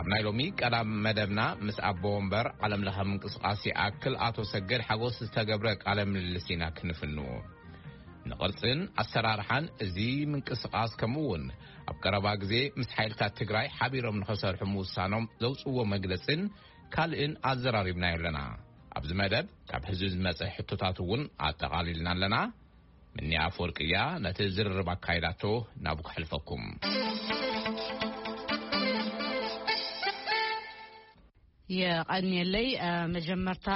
ኣብ ናይ ሎሚ ቀዳም መደብና ምስ ኣቦ ወንበር ዓለም ለኸ ምንቅስቃስ ይኣክል ኣቶ ሰገድ ሓጎስ ዝተገብረ ቃለ ምልልስ ኢና ክንፍንዎ። ንቕርጽን ኣሰራርሓን እዚ ምንቅስቃስ፣ ከምኡ እውን ኣብ ቀረባ ግዜ ምስ ሓይልታት ትግራይ ሓቢሮም ንኸሰርሑ ምውሳኖም ዘውፅዎ መግለጽን ካልእን ኣዘራሪብናዮ ኣለና። ኣብዚ መደብ ካብ ህዝቢ ዝመጸ ሕቶታት እውን ኣጠቓሊልና ኣለና። ምኒ ኣፈወርቂ እያ ነቲ ዝርርብ ኣካይዳቶ። ናብ ክሕልፈኩም። የቐንየለይ። መጀመርታ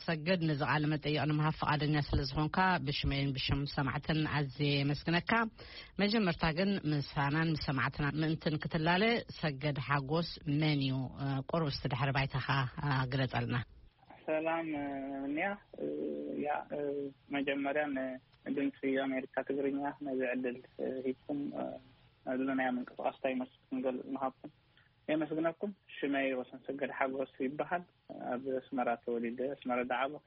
ሰገድ፣ ነዚ ቃለ መጠይቕ ንምሃብ ፍቓደኛ ስለ ዝኾንካ ብሽመይን ብሽም ሰማዕትን ኣዝየ የመስግነካ። መጀመርታ ግን ምሳናን ምስ ሰማዕትና ምእንትን ክትላለ፣ ሰገድ ሓጎስ መን እዩ? ቁሩብ እስቲ ድሕሪ ባይታኻ ግለጸልና። ሰላም ምንያ። ያ፣ መጀመርያ ንድምፂ ኣሜሪካ ትግርኛ ነዚ ዕድል ሂብኩም፣ ነዚ ናይ ምንቅስቃስ እንታይ ይመስል ክንገልፅ ምሃብኩም የመስግነኩም። ሽመይ ወሰን ሰገድ ሓጎስ ይበሃል። ኣብ ኣስመራ ተወሊደ፣ ኣስመራ ዝዓበኹ።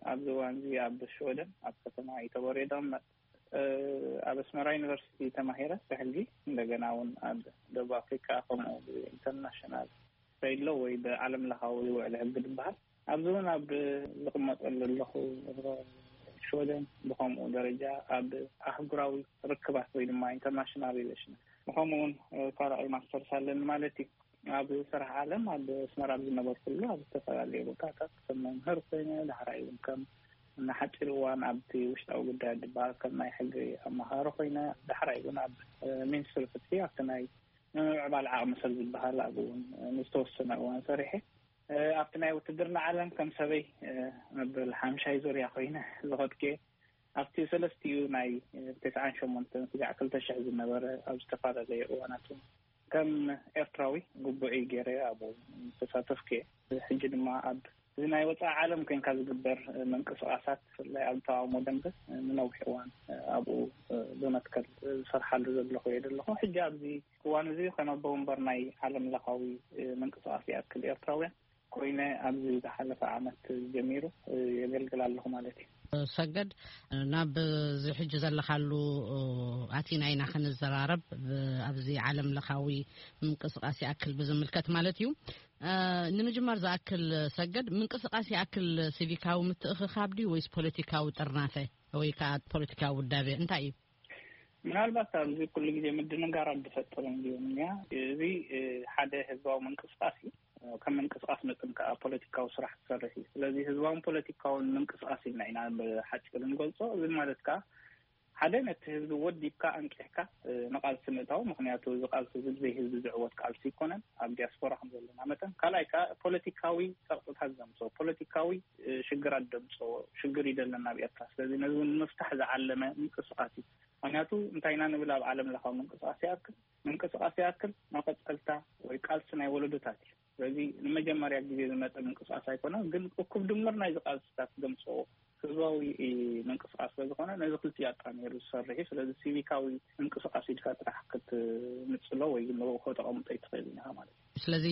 ኣብዚ እዋን እዚ ኣብ ሽወደን ኣብ ከተማ ኢተቦሬ ይቕመጥ። ኣብ ኣስመራ ዩኒቨርሲቲ ተማሂረ ብሕጊ፣ እንደገና እውን ኣብ ደቡብ ኣፍሪካ ከምኡ ኢንተርናሽናል ትሬድ ሎ ወይ ብዓለም ለኻዊ ውዕል ሕጊ ዝበሃል ኣብዚ እውን ኣብ ዝቕመጠሉ ኣለኹ። ሽወደን ብኸምኡ ደረጃ ኣብ ኣህጉራዊ ርክባት ወይ ድማ ኢንተርናሽናል ሪሌሽን፣ ብኸምኡ እውን ካልኣይ ማስተርስ ኣለኒ ማለት እዩ። ኣብ ስራሕ ዓለም ኣብ ኣስመራ ኣብ ዝነበርኩሉ ኣብ ዝተፈላለዩ ቦታታት ከም መምህር ኮይነ፣ ዳሕራይ እውን ከም ንሓፂር እዋን ኣብቲ ውሽጣዊ ጉዳይ ዝበሃል ከም ናይ ሕጊ ኣመሃሪ ኮይነ፣ ዳሕራይ እውን ኣብ ሚኒስትሪ ፍትሒ ኣብቲ ናይ ምምዕባል ዓቕሚ ሰብ ዝበሃል ኣብኡ እውን ንዝተወሰነ እዋን ሰሪሐ። ኣብቲ ናይ ውትድርና ዓለም ከም ሰበይ መበል ሓምሻይ ዙርያ ኮይነ ዝኸድኩ እየ። ኣብቲ ሰለስቲኡ ናይ ተስዓን ሸሞንተን ስጋዕ ክልተ ሽሕ ዝነበረ ኣብ ዝተፈላለየ እዋናት እውን ከም ኤርትራዊ ግቡዕይ ገይረ ኣብኡ ተሳተፍኩ እየ። ሕጂ ድማ ኣብ እዚ ናይ ወፃኢ ዓለም ኮይንካ ዝግበር ምንቅስቃሳት፣ ብፍላይ ኣብ ተቃውሞ ደንበ፣ ንነዊሕ እዋን ኣብኡ ብመትከል ዝሰርሓሉ ዘለኹ እየ ዘለኹ። ሕጂ ኣብዚ እዋን እዚ ከም ኣቦ ወንበር ናይ ዓለም ለኻዊ ምንቅስቃስ ይኣክል ኤርትራውያን ኮይነ ኣብዚ ዝሓለፈ ዓመት ጀሚሩ የገልግል ኣለኹ ማለት እዩ። ሰገድ፣ ናብ እዚ ሕጂ ዘለኻሉ ኣቲና ኢና ክንዘራረብ፣ ብ-፣ ኣብዚ ዓለም ለኻዊ ምንቅስቃስ ይኣክል ብዝምልከት ማለት እዩ። እ፣ ንምጅማር ዝኣክል ሰገድ፣ ምንቅስቃስ ይኣክል ሲቪካዊ ምትእኽኻብ ድዩ ወይስ ፖለቲካዊ ጥርናፈ ወይ ከዓ ፖለቲካዊ ውዳቤ እንታይ እዩ? ምናልባት ኣብዚ ኩሉ ግዜ ምድንጋራት ዝፈጥር እንድዩ እኒያ። እዚ፣ እ፣ ሓደ ህዝባዊ ምንቅስቃስ እዩ። ከም ምንቅስቃስ መጠን ከዓ ፖለቲካዊ ስራሕ ትሰርሕ እዩ። ስለዚ ህዝባውን ፖለቲካውን ምንቅስቃስ ኢልና ኢና ብሓፂሩ ንገልፆ። እዚ ማለት ከዓ ሓደ ነቲ ህዝቢ ወዲብካ ኣንቂሕካ፣ እ፣ ንቃልሲ ምእታው። ምክንያቱ እዚ ቃልሲ እዚ ብዘይ ህዝቢ ዝዕወት ቃልሲ ኣይኮነን። ኣብ ዲያስፖራ ከም ዘለና መጠን። ካልኣይ ከዓ ፖለቲካዊ ፀቕጥታት ዘምፅኦ፣ ፖለቲካዊ፣ እ፣ ሽግራት ዘምፅኦ ሽግር እዩ ዘለና ኣብ ኤርትራ። ስለዚ ነዚ እውን ንምፍታሕ ዝዓለመ ምንቅስቃስ እዩ። ምክንያቱ እንታይ ኢና ንብል ኣብ ዓለም ለኻዊ ምንቅስቃስ ይኣክል፣ ምንቅስቃስ ይኣክል መቐፀልታ ወይ ቃልሲ ናይ ወለዶታት እዩ። ስለዚ ንመጀመርያ ግዜ ዝመፀ ምንቅስቃስ ኣይኮነን፣ ግን እኩብ ድምር ናይዚ ቃልስታት ዘምፅኦ ህዝባዊ ምንቅስቃስ ስለዝኾነ ነዚ ክልቲኡ ኣጣሚሩ ዝሰርሕ እዩ። ስለዚ ሲቪካዊ ምንቅስቃስ ኢልካ ጥራሕ ክትንፅሎ ወይ ንርኡኾ ተቐምጦ ኣይትኽእልን ኢኻ ማለት እዩ። ስለዚ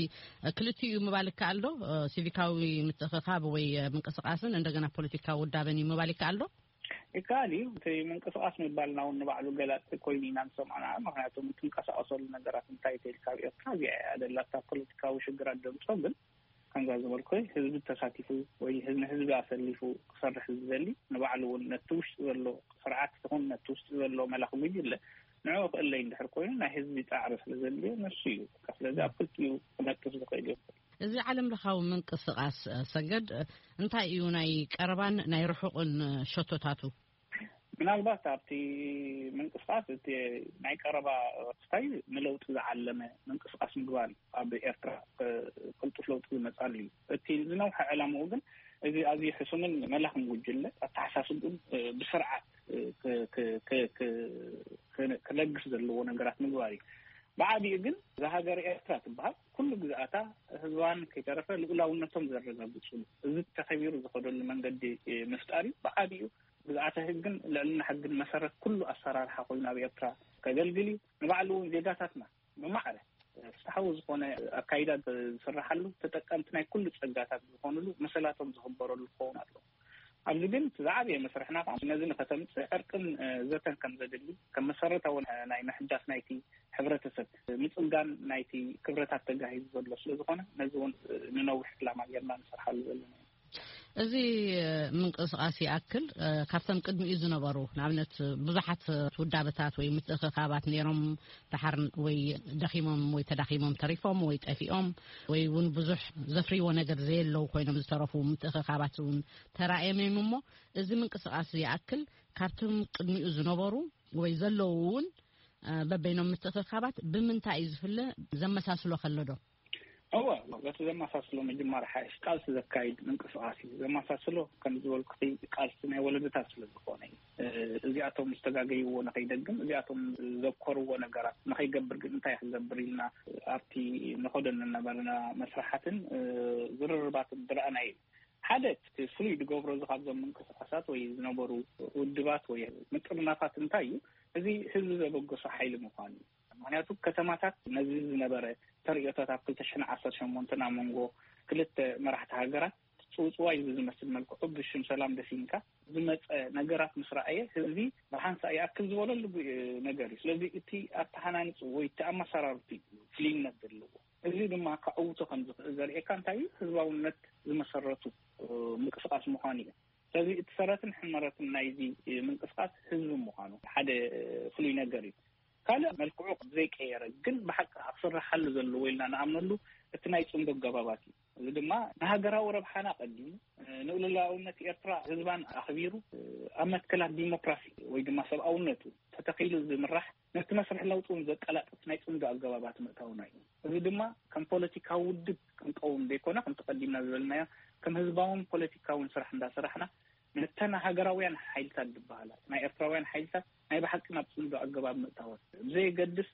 ክልቲኡ እዩ ምባል ይከኣል ዶ? ሲቪካዊ ምትእኽኻብ ወይ ምንቅስቃስን እንደገና ፖለቲካዊ ውዳበን እዩ ምባል ይከኣል ዶ? ይከኣል እዩ። እቲ ምንቅስቃስ ምባልና እውን ንባዕሉ ገላፂ ኮይኑ ኢና ንሰምዖ። ምክንያቱ ትንቀሳቀሰሉ ነገራት እንታይ ተይልካ ኣብ ኤርትራ እዚኣ እያ ደላታ ፖለቲካዊ ሽግራት ዘምፅኦ። ግን ከምዛ ዝበልኩ ህዝቢ ተሳቲፉ ወይ ህዝቢ፣ ህዝቢ ኣሰሊፉ ክሰርሕ ዝደሊ፣ ንባዕሉ እውን ነቲ ውሽጢ ዘሎ ስርዓት ይኹን ነቲ ውሽጢ ዘሎ መላኺ ጉጅለ ንዕኡ ክእለይ እንድሕር ኮይኑ ናይ ህዝቢ ጻዕሪ ስለ ዘድልዮ ንሱ እዩ። በቃ ስለዚ ኣብ ክልቲኡ ክነጥፍ ዝኽእል እዩ። እዚ ዓለም ለኻዊ ምንቅስቃስ፣ እ፣ ሰገድ፣ እ፣ እንታይ እዩ ናይ ቀረባን ናይ ርሑቕን፣ እ፣ ሸቶታቱ? ምናልባት ኣብቲ ምንቅስቃስ እቲ ናይ ቀረባ ክስታይ ንለውጢ ዝዓለመ ምንቅስቃስ ምግባር እዩ። ኣብ ኤርትራ፣ እ፣ ቅልጡፍ ለውጢ ዝመጻሉ እዩ። እቲ ዝነውሐ ዕላምኡ ግን እዚ ኣዝዩ ሕሱምን መላኽን ጉጅለ ኣተሓሳስብኡን፣ እ፣ ብስርዓት፣ እ፣ ክ-፣ ክ-፣ ክ-፣ ክ-፣ ክ-፣ ክለግስ ዘለዎ ነገራት ምግባር እዩ። ብዓቢኡ ግን እዛ ሃገር ኤርትራ ትበሃል ኩሉ ግዝኣታ ህዝባን ከይተረፈ ልኡላውነቶም ዘረጋግጽሉ፣ እዚ ተኸቢሩ ዝኸደሉ መንገዲ፣ እ፣ ምፍጣር እዩ። ብዓቢኡ ግዝኣተ ህግን ልዕልና ሕግን መሰረት ኩሉ ኣሰራርሓ ኮይኑ ኣብ ኤርትራ ከገልግል እዩ። ንባዕሉ እውን ዜጋታትና ብማዕረ ፍትሓዊ ዝኾነ ኣካይዳ ዝስራሓሉ፣ ተጠቀምቲ ናይ ኩሉ ጸጋታት ዝኾኑሉ፣ መሰላቶም ዝኽበረሉ ክኸውን ኣለዎ። ኣብዚ ግን እቲ ዝዓበየ መስርሕና ከዓ ነዚ ንኸተምፅእ ዕርቅን ዘተን ከም ዘድሊ፣ ከም መሰረታዊ ናይ ምሕዳስ ናይቲ ሕብረተሰብ፣ ምፅንጋን ናይቲ ክብረታት ተጋሂዙ ዘሎ ስለ ዝኾነ፣ ነዚ እውን ንነዊሕ ዕላማ ጌርና ንሰርሓሉ ዘለና። እዚ ምንቅስቃስ ይኣክል ካብቶም ቅድሚኡ ዝነበሩ፣ ንኣብነት ብዙሓት ውዳበታት ወይ ምትእኽኻባት ነይሮም፣ ደሓር ወይ ደኺሞም ወይ ተዳኺሞም ተሪፎም ወይ ጠፊኦም፣ ወይ እውን ብዙሕ ዘፍርይዎ ነገር ዘየለው ኮይኖም ዝተረፉ ምትእኽኻባት እውን ተራእዮም እዮም። እሞ እዚ ምንቅስቃስ ይኣክል ካብቶም ቅድሚኡ ዝነበሩ ወይ ዘለዉ እውን በበይኖም ምትእኽኻባት ብምንታይ እዩ ዝፍለ? ዘመሳስሎ ከሎ ዶ? እወ፣ በቲ ዘመሳስሎ ምጅማር ሓይሽ ቃልሲ ዘካይድ ምንቅስቃስ እዩ። ዘመሳስሎ ከም ዝበልኩ ቃልሲ ናይ ወለዶታት ስለ ዝኾነ እዩ። እዚኣቶም ዝተጋገይዎ ንኸይደግም፣ እዚኣቶም ዘኮርዎ ነገራት ንኸይገብር ግን እንታይ ክገብር ኢልና ኣብቲ ንኸዶ እናነበርና መስራሓትን ዝርርባትን ዝረኣና እዩ። ሓደ እቲ ፍሉይ ዝገብሮ እዚ ካብዞም ምንቅስቃሳት ወይ ዝነበሩ ውድባት ወይ ምጥርናፋት እንታይ እዩ? እዚ ህዝቢ ዘበገሶ ሓይሊ ምዃኑ እዩ። ምክንያቱ ከተማታት ነዚ ዝነበረ ተርእዮታት ኣብ ክልተ ሽሕን ዓሰርተ ሸሞንተን ኣብ መንጎ ክልተ መራሕቲ ሃገራት ጽውጽዋይ ዝመስል መልክዑ ብሽም ሰላም ደፊንካ ዝመጸ ነገራት ምስ ረኣየ፣ ህዝቢ ብሓንሳእ ይኣክል ዝበለሉ ነገር እዩ። ስለዚ እቲ ኣተሃናንጹ ወይ እቲ ኣመሰራርቱ እዩ ፍልይነት ዘለዎ። እዚ ድማ ከዕውቶ ከም ዝኽእል ዘርእየካ እንታይ እዩ? ህዝባውነት ዝመሰረቱ ምንቅስቃስ ምዃኑ እዩ። ስለዚ እቲ ሰረትን ሕመረትን ናይዚ ምንቅስቃስ ህዝቢ ምዃኑ ሓደ ፍሉይ ነገር እዩ። ካልእ መልክዑ ዘይቀየረ ግን ብሓቂ ኣብ ስራሓሉ ዘለዎ ኢልና ንኣምነሉ እቲ ናይ ጽምዶ ኣገባባት እዩ። እዚ ድማ ንሃገራዊ ረብሓና ቀዲሙ፣ ንልኡላውነት ኤርትራ ህዝባን ኣኽቢሩ፣ ኣብ መትከላት ዲሞክራሲ ወይ ድማ ሰብኣውነቱ ተተኺሉ ዝምራሕ፣ ነቲ መስርሕ ለውጢ እውን ዘቀላጥፍ ናይ ጽምዶ ኣገባባት ምእታውና እዩ። እዚ ድማ ከም ፖለቲካዊ ውድብ ክንቀውም ዘይኮነ፣ ከምቲ ቀዲምና ዝበልናዮ፣ ከም ህዝባውን ፖለቲካውን ስራሕ እንዳሰራሕና፣ ነተን ሃገራውያን ሓይልታት ዝበሃላ ናይ ኤርትራውያን ሓይልታት ናይ ብሓቂ ናብ ጽምዶ ኣገባብ ምእታወን፣ ብዘየገድስ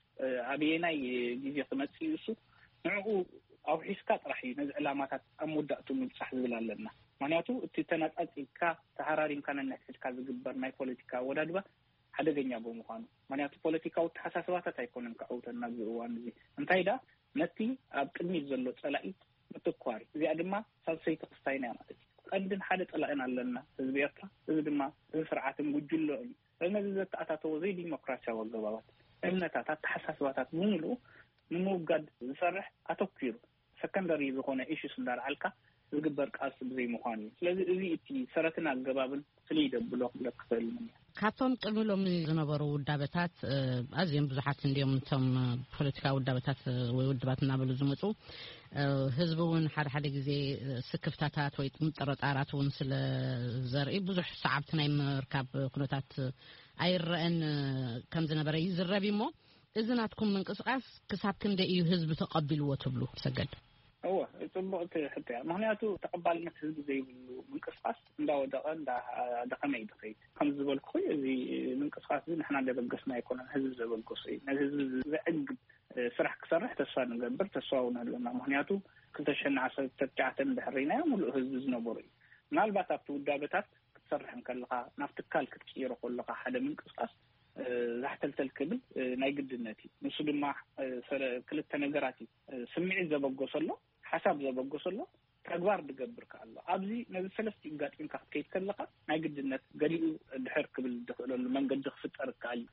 ኣበየናይ ግዜ ክመጽእ እዩ እሱ፣ ንዕኡ ኣውሒስካ ጥራሕ እዩ ነዚ ዕላማታት ኣብ መወዳእቱ ምብጻሕ ዝብል ኣለና። ምክንያቱ እቲ ተነጻጺልካ ተሃራሪምካ ነንሕድሕድካ ዝግበር ናይ ፖለቲካ ኣወዳድባ ሓደገኛ ብምዃኑ። ምክንያቱ ፖለቲካዊ ኣተሓሳስባታት ኣይኮነን ክዕውተና ኣብዚ እዋን እዚ። እንታይ ደኣ፣ ነቲ ኣብ ቅድሚት ዘሎ ጸላኢ ምትኳር እዩ። እዚኣ ድማ ሳልሰይቲ ክስታይና እያ ማለት እዩ። ቀንድን ሓደ ጸላእን ኣለና፣ ህዝቢ ኤርትራ። እዚ ድማ እዚ ስርዓትን ጉጅሎን እዩ። ነዚ ዘተኣታተዎ ዘይዲሞክራሲያዊ ኣገባባት፣ እምነታት፣ ኣተሓሳስባታት ብምሉኡ ንምውጋድ ዝሰርሕ፣ ኣተኲሩ ሰከንደሪ ዝኾነ ኢሹስ እንዳልዓልካ ዝግበር ቃልሲ ብዘይምዃኑ እዩ። ስለዚ እዚ እቲ ሰረትን ኣገባብን ፍልይ ደብሎ ክብለክ ክኽእል እየ። ካብቶም ቅድሚ ሎሚ ዝነበሩ ውዳበታት ኣዝዮም ብዙሓት እንድዮም፣ እቶም ፖለቲካዊ ውዳበታት ወይ ውድባት እናበሉ ዝመፁ። ህዝቢ እውን ሓደ ሓደ ግዜ ስክፍታታት ወይ ጥርጣራት እውን ስለ ዘርኢ ብዙሕ ሰዓብቲ ናይ ምርካብ ኩነታት ኣይረአን ከም ዝነበረ ይዝረብ እዩ። እሞ እዚ ናትኩም ምንቅስቃስ ክሳብ ክንደይ እዩ ህዝቢ ተቐቢልዎ ትብሉ? ሰገድ። እወ፣ ጽቡቕቲ ሕቶ እያ። ምኽንያቱ ተቐባልነት ህዝቢ ዘይብሉ ምንቅስቃስ እንዳወደቐ እንዳደኸመ እዩ ዝኸይድ። ከም ዝበልኩ፣ እዚ ምንቅስቃስ እዚ ንሕና ዘበገስና ኣይኮነን፣ ህዝቢ ዘበገሶ እዩ። ነዚ ህዝቢ ዘዕግብ ስራሕ ክሰርሕ ተስፋ ንገብር፣ ተስፋ እውን ኣለና። ምኽንያቱ ክልተ ሽሕን ዓሰርተ ትሽዓተን ድሕሪናዮ ምሉእ ህዝቢ ዝነበሩ እዩ። ምናልባት ኣብቲ ውዳበታት ክትሰርሕ እንከለኻ፣ ናብ ትካል ክትቅይሮ ከለኻ ሓደ ምንቅስቃስ ዛሕተልተል ክብል ናይ ግድነት እዩ። ንሱ ድማ ክልተ ነገራት እዩ። ስምዒት ዘበገሰሎ፣ ሓሳብ ዘበገሰሎ፣ ተግባር ዝገብር ከኣሎ። ኣብዚ ነዚ ሰለስቲኡ ጋጢምካ ክትከይድ ከለኻ ናይ ግድነት ገሊኡ ድሕር ክብል ዝኽእለሉ መንገዲ ክፍጠር ይከኣል እዩ።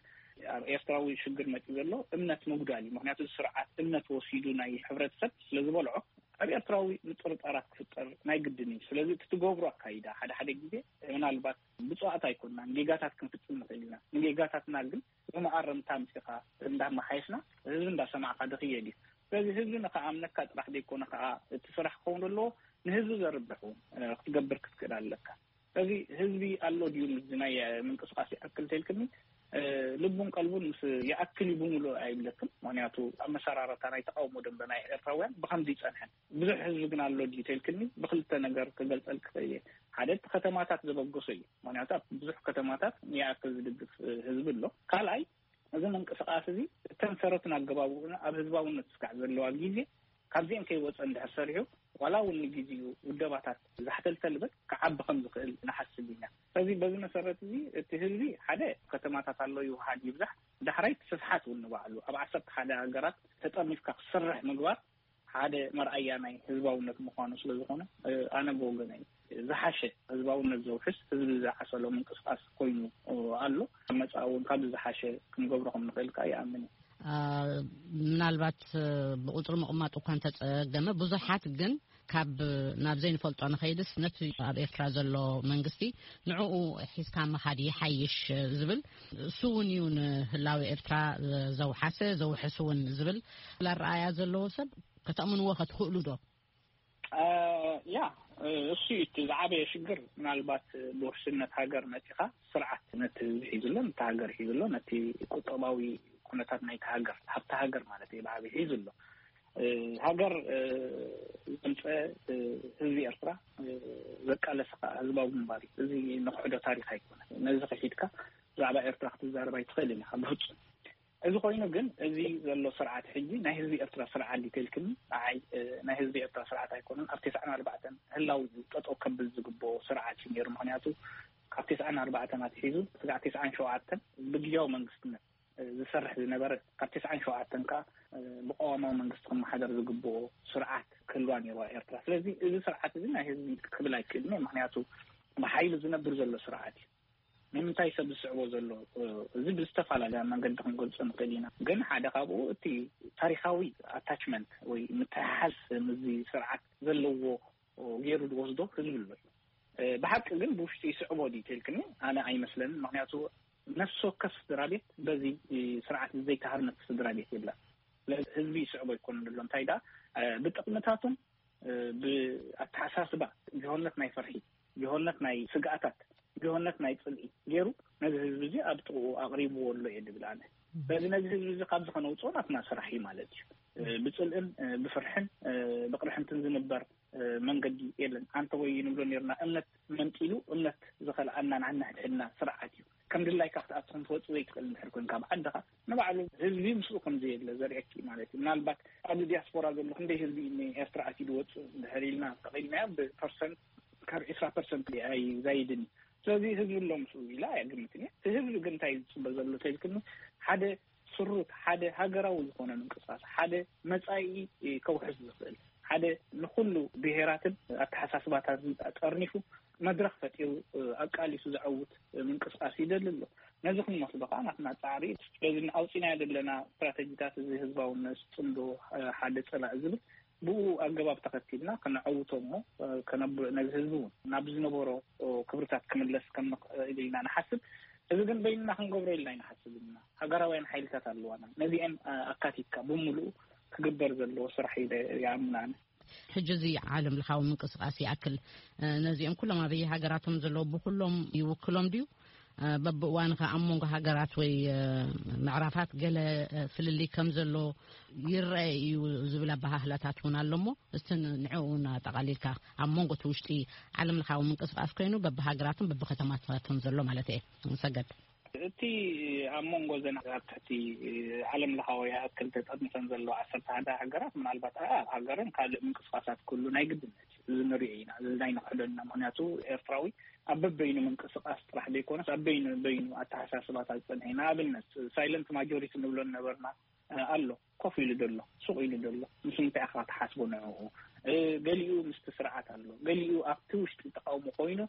ኣብ ኤርትራዊ ሽግር መፂኡ ዘሎ እምነት ምጉዳል እዩ። ምክንያቱ ስርዓት እምነት ወሲዱ ናይ ሕብረተሰብ ስለ ዝበልዖ ኣብ ኤርትራዊ ምጥርጣራት ክፍጠር ናይ ግድን እዩ። ስለዚ እቲ ትገብሮ ኣካይዳ ሓደ ሓደ ግዜ ምናልባት ብፁዓት ኣይኮንናን፣ ጌጋታት ክንፍጽም ንኽእል ኢና። ንጌጋታትና ግን ብመኣረምታ ኣምጺኻ እንዳመሓየሽና ህዝቢ እንዳሰማዕካ ድኽየድ እዩ። ስለዚ ህዝቢ ንኽኣምነካ ጥራሕ ዘይኮነ ከዓ እቲ ስራሕ ክኸውን ዘለዎ ንህዝቢ ዘርብሕ እውን ክትገብር ክትክእል ኣለካ። ስለዚ ህዝቢ ኣሎ ድዩ ምስዚ ናይ ምንቅስቃስ ይኣክል ተልክኒ ልቡን ቀልቡን ምስ ይኣክል እዩ ብምሉእ ኣይብለክን። ምክንያቱ ኣመሰራረታ ናይ ተቃውሞ ደንበ ናይ ኤርትራውያን ብከምዚ ይጸንሐን። ብዙሕ ህዝቢ ግን ኣሎ ድዩ ተልክኒ ብክልተ ነገር ክገልጸል ክኽእል እየ። ሓደ እቲ ከተማታት ዘበገሶ እዩ። ምክንያቱ ኣብ ብዙሕ ከተማታት ይኣክል ዝድግፍ ህዝቢ ኣሎ። ካልኣይ፣ እዚ ምንቅስቃስ እዚ እተን ሰረትን ኣገባቡን ኣብ ህዝባውነት ስካዕ ዘለዋ ግዜ ካብዚአን ከይወፀ እንድሕር ሰሪሑ ዋላ እውን ንግዜኡ ውደባታት ዛሕተልተል በት ክዓቢ ከም ዝኽእል ንሓስብ ኢና። ስለዚ በዚ መሰረት እዚ እቲ ህዝቢ ሓደ ከተማታት ኣሎ ይውሃድ ይብዛሕ፣ ዳሕራይ እቲ ስፍሓት እውን ንባዕሉ ኣብ ዓሰርተ ሓደ ሃገራት ተጠርኒፍካ ክሰርሕ ምግባር ሓደ መርኣያ ናይ ህዝባውነት ምዃኑ ስለ ዝኾነ፣ ኣነ ብወገነይ ዝሓሸ ህዝባውነት ዘውሕስ፣ ህዝቢ ዝዓሰሎ ምንቅስቃስ ኮይኑ ኣሎ። መጻኢ እውን ካብዚ ዝሓሸ ክንገብሮ ከም ንኽእል ከኣ ይኣምን እየ። ምናልባት ብቁጽሪ ምቕማጥ እኳ እንተጸገመ፣ ብዙሓት ግን ካብ ናብ ዘይንፈልጦ ንኸይድስ፣ ነቲ ኣብ ኤርትራ ዘሎ መንግስቲ ንዕኡ ሒዝካ ምኻድ ይሓይሽ ዝብል፣ እሱ እውን እዩ ንህላዊ ኤርትራ ዘውሓሰ፣ ዘውሕስ እውን ዝብል ኣረኣእያ ዘለዎ ሰብ ከተእምንዎ ከትኽእሉ ዶ? ያ፣ እሱ እዩ እቲ ዝዓበየ ሽግር። ምናልባት ብውሕስነት ሃገር መጺኻ፣ ስርዓት ነቲ ህዝቢ ሒዙ ኣሎ፣ ነቲ ሃገር ሒዙ ኣሎ፣ ነቲ ቁጠባዊ ኩነታት ናይቲ ሃገር፣ ሃብቲ ሃገር ማለት እዩ፣ ብዓቢ ሒዙ ኣሎ። ሃገር ዘምፀ ህዝቢ ኤርትራ፣ ዘቃለሰ ከዓ ህዝባዊ ግንባር እዩ። እዚ ንክሕዶ ታሪክ ኣይኮነን። ነዚ ክሒድካ ብዛዕባ ኤርትራ ክትዛረብ ኣይትኽእልን ኢኻ ብፍጹም። እዚ ኮይኑ ግን፣ እዚ ዘሎ ስርዓት ሕጂ ናይ ህዝቢ ኤርትራ ስርዓት ድዩ ተልክኒ? ንዓይ፣ እ፣ ናይ ህዝቢ ኤርትራ ስርዓት ኣይኮነን። ኣብ ተስዓን ኣርባዕተን ህላው እዩ ጠጠው ከብል ዝግብኦ ስርዓት እዩ ነይሩ። ምኽንያቱ ካብ ተስዓን ኣርባዕተን ኣትሒዙ ስጋዕ ተስዓን ሸውዓተን ብግዜያዊ መንግስትነት፣ እ፣ ዝሰርሕ ዝነበረ፣ ካብ ተስዓን ሸውዓተን ከኣ፣ እ፣ ብቀዋማዊ መንግስቲ ክመሓደር ዝግብኦ ስርዓት ክህልዋ ነይርዋ ኤርትራ። ስለዚ እዚ ስርዓት እዚ ናይ ህዝቢ ክብል ኣይክእልን እየ። ምኽንያቱ ብሓይሊ ዝነብር ዘሎ ስርዓት እዩ። ንምንታይ ሰብ ዝስዕቦ ዘሎ፣ እ፣ እዚ ብዝተፈላለየ መንገዲ ክንገልጾ ንኽእል ኢና። ግን ሓደ ካብኡ እቲ ታሪኻዊ ኣታችመንት ወይ ምትሕሓዝ ምስዚ ስርዓት ዘለዎ ገይሩ ዝወስዶ ህዝቢ ኣሎ እዩ። እ፣ ብሓቂ ግን ብውሽጢ ይስዕቦ ድዩ ተልክኒ? ኣነ ኣይመስለንን። ምኽንያቱ ነፍሲ ወከፍ ስድራ ቤት በዚ፣ እ፣ ስርዓት ዘይተሃርመት ስድራ ቤት የለን። ስለዚ ህዝቢ ይስዕቦ ኣይኮነን ዘሎ። እንታይ ደኣ፣ እ፣ ብጥቕምታቱን፣ እ፣ ብኣተሓሳስባ ጅሆነት ናይ ፍርሒ፣ ጅሆነት ናይ ስግኣታት፣ ጅሆነት ናይ ጽልኢ ገይሩ ነዚ ህዝቢ እዚ ኣብ ጥቕኡ ኣቕሪብዎ ኣሎ እየ ድብል ኣነ። ስለዚ ነዚ ህዝቢ እዚ ካብዚ ከነውፅኦ ናትና ስራሕ እዩ ማለት እዩ። እ፣ ብጽልእን፣ እ፣ ብፍርሕን፣ እ፣ ብቕርሕንትን ዝንበር፣ እ፣ መንገዲ የለን። ኣንተ ወይ ንብሎ ነርና፣ እምነት መንጢሉ እምነት ዝኸልኣና ንሕድሕድና ስርዓት እዩ። ከም ድላይካ ክትኣትኹም ትወፅእ ዘይትኽእል እንድሕር ኮይንካ ብዓድኻ፣ ንባዕሉ ህዝቢ ምስኡ ከም ዘየለ ዘርእየኪ ማለት እዩ። ምናልባት ኣብዚ ዲያስፖራ ዘሎ ክንደይ ህዝቢ እዩ ንኤርትራ ኣትዩ ዝወፅእ እንድሕር ኢልና ተቐይድናዮ፣ ብፐርሰንት ካብ ዕስራ ፐርሰንት ኣይዛይድን እዩ። ስለዚ ህዝቢ ኣሎ ምስኡ ኢላ ኣይግምትን እየ። እቲ ህዝቢ ግን እንታይ ዝፅበ ዘሎ ተልክኒ፣ ሓደ ስሩት፣ ሓደ ሃገራዊ ዝኾነ ምንቅስቃስ፣ ሓደ መጻኢ ከውሕስ ዝኽእል፣ ሓደ ንኹሉ ብሄራትን ኣተሓሳስባታትን ጠርኒፉ መድረኽ ፈጢሩ፣ ኣቃሊሱ ዘዐውት ምንቅስቃስ ይደሊ ኣሎ። ነዚ ክንወስዶ ከዓ ናትና ጻዕሪ፣ ስለዚ ኣውፂናዮ ዘለና ስትራተጂታት፣ እዚ ህዝባውነት፣ ጽምዶ፣ ሓደ ጸላኢ ዝብል፣ ብኡ ኣገባብ ተኸቲልና ከነዐውቶ እሞ፣ ከነብ-፣ ነዚ ህዝቢ እውን ናብ ዝነበሮ ክብርታት ክምለስ ከም ንኽእል ኢና ንሓስብ። እዚ ግን በይንና ክንገብሮ ኢልና ኣይንሓስብን ኢና። ሃገራውያን ሓይልታት ኣለዋና። ነዚአን ኣካቲትካ ብምሉኡ ክግበር ዘለዎ ስራሕ ኢለ ይኣምን ኣነ። ሕጂ እዚ ዓለም ለኻዊ ምንቅስቃስ ይኣክል፣ እ፣ ነዚኦም ኩሎም ኣበየ ሃገራቶም ዘለዉ ብኩሎም ይውክሎም ድዩ? እ፣ በብእዋኑ ከ ኣብ መንጎ ሃገራት ወይ፣ እ፣ ምዕራፋት ገለ፣ እ፣ ፍልልይ ከም ዘሎ ይረአ እዩ ዝብል ኣበሃህላታት እውን ኣሎ እሞ፣ እስቲ ን-፣ ንዕኡ እውን ኣጠቓሊልካ፣ ኣብ መንጎ እቲ ውሽጢ ዓለም ለኻዊ ምንቅስቃስ ኮይኑ በብሃገራትን በብከተማታትን ዘሎ ማለት እየ። ንሰገድ። እቲ ኣብ መንጎ ዘን ኣብ ትሕቲ ዓለም ለኻዊ ይኣክል ተጠርኒፈን ዘለዋ ዓሰርተ ሓደ ሃገራት፣ ምናልባት ኣብ ሃገርን ካልእ ምንቅስቃሳት ኩሉ ናይ ግድነት እዩ። እዚ ንሪኦ ኢና፣ እዚ ናይ ንክሕዶ ኢና። ምክንያቱ ኤርትራዊ ኣብ በበይኑ ምንቅስቃስ ጥራሕ ዘይኮነስ ኣብ በይኑ በይኑ ኣተሓሳስባታት ዝጸንሐ እዩ። ንኣብነት ሳይለንት ማጆሪቲ ንብሎ ነበርና፣ እ፣ ኣሎ፣ ኮፍ ኢሉ ዘሎ፣ ሱቕ ኢሉ ዘሎ፣ ምስ እንታይ ኢኻ ትሓስቦ ንዕኡ? እ፣ ገሊኡ ምስቲ ስርዓት ኣሎ፣ ገሊኡ ኣብቲ ውሽጢ ተቃውሞ ኮይኑ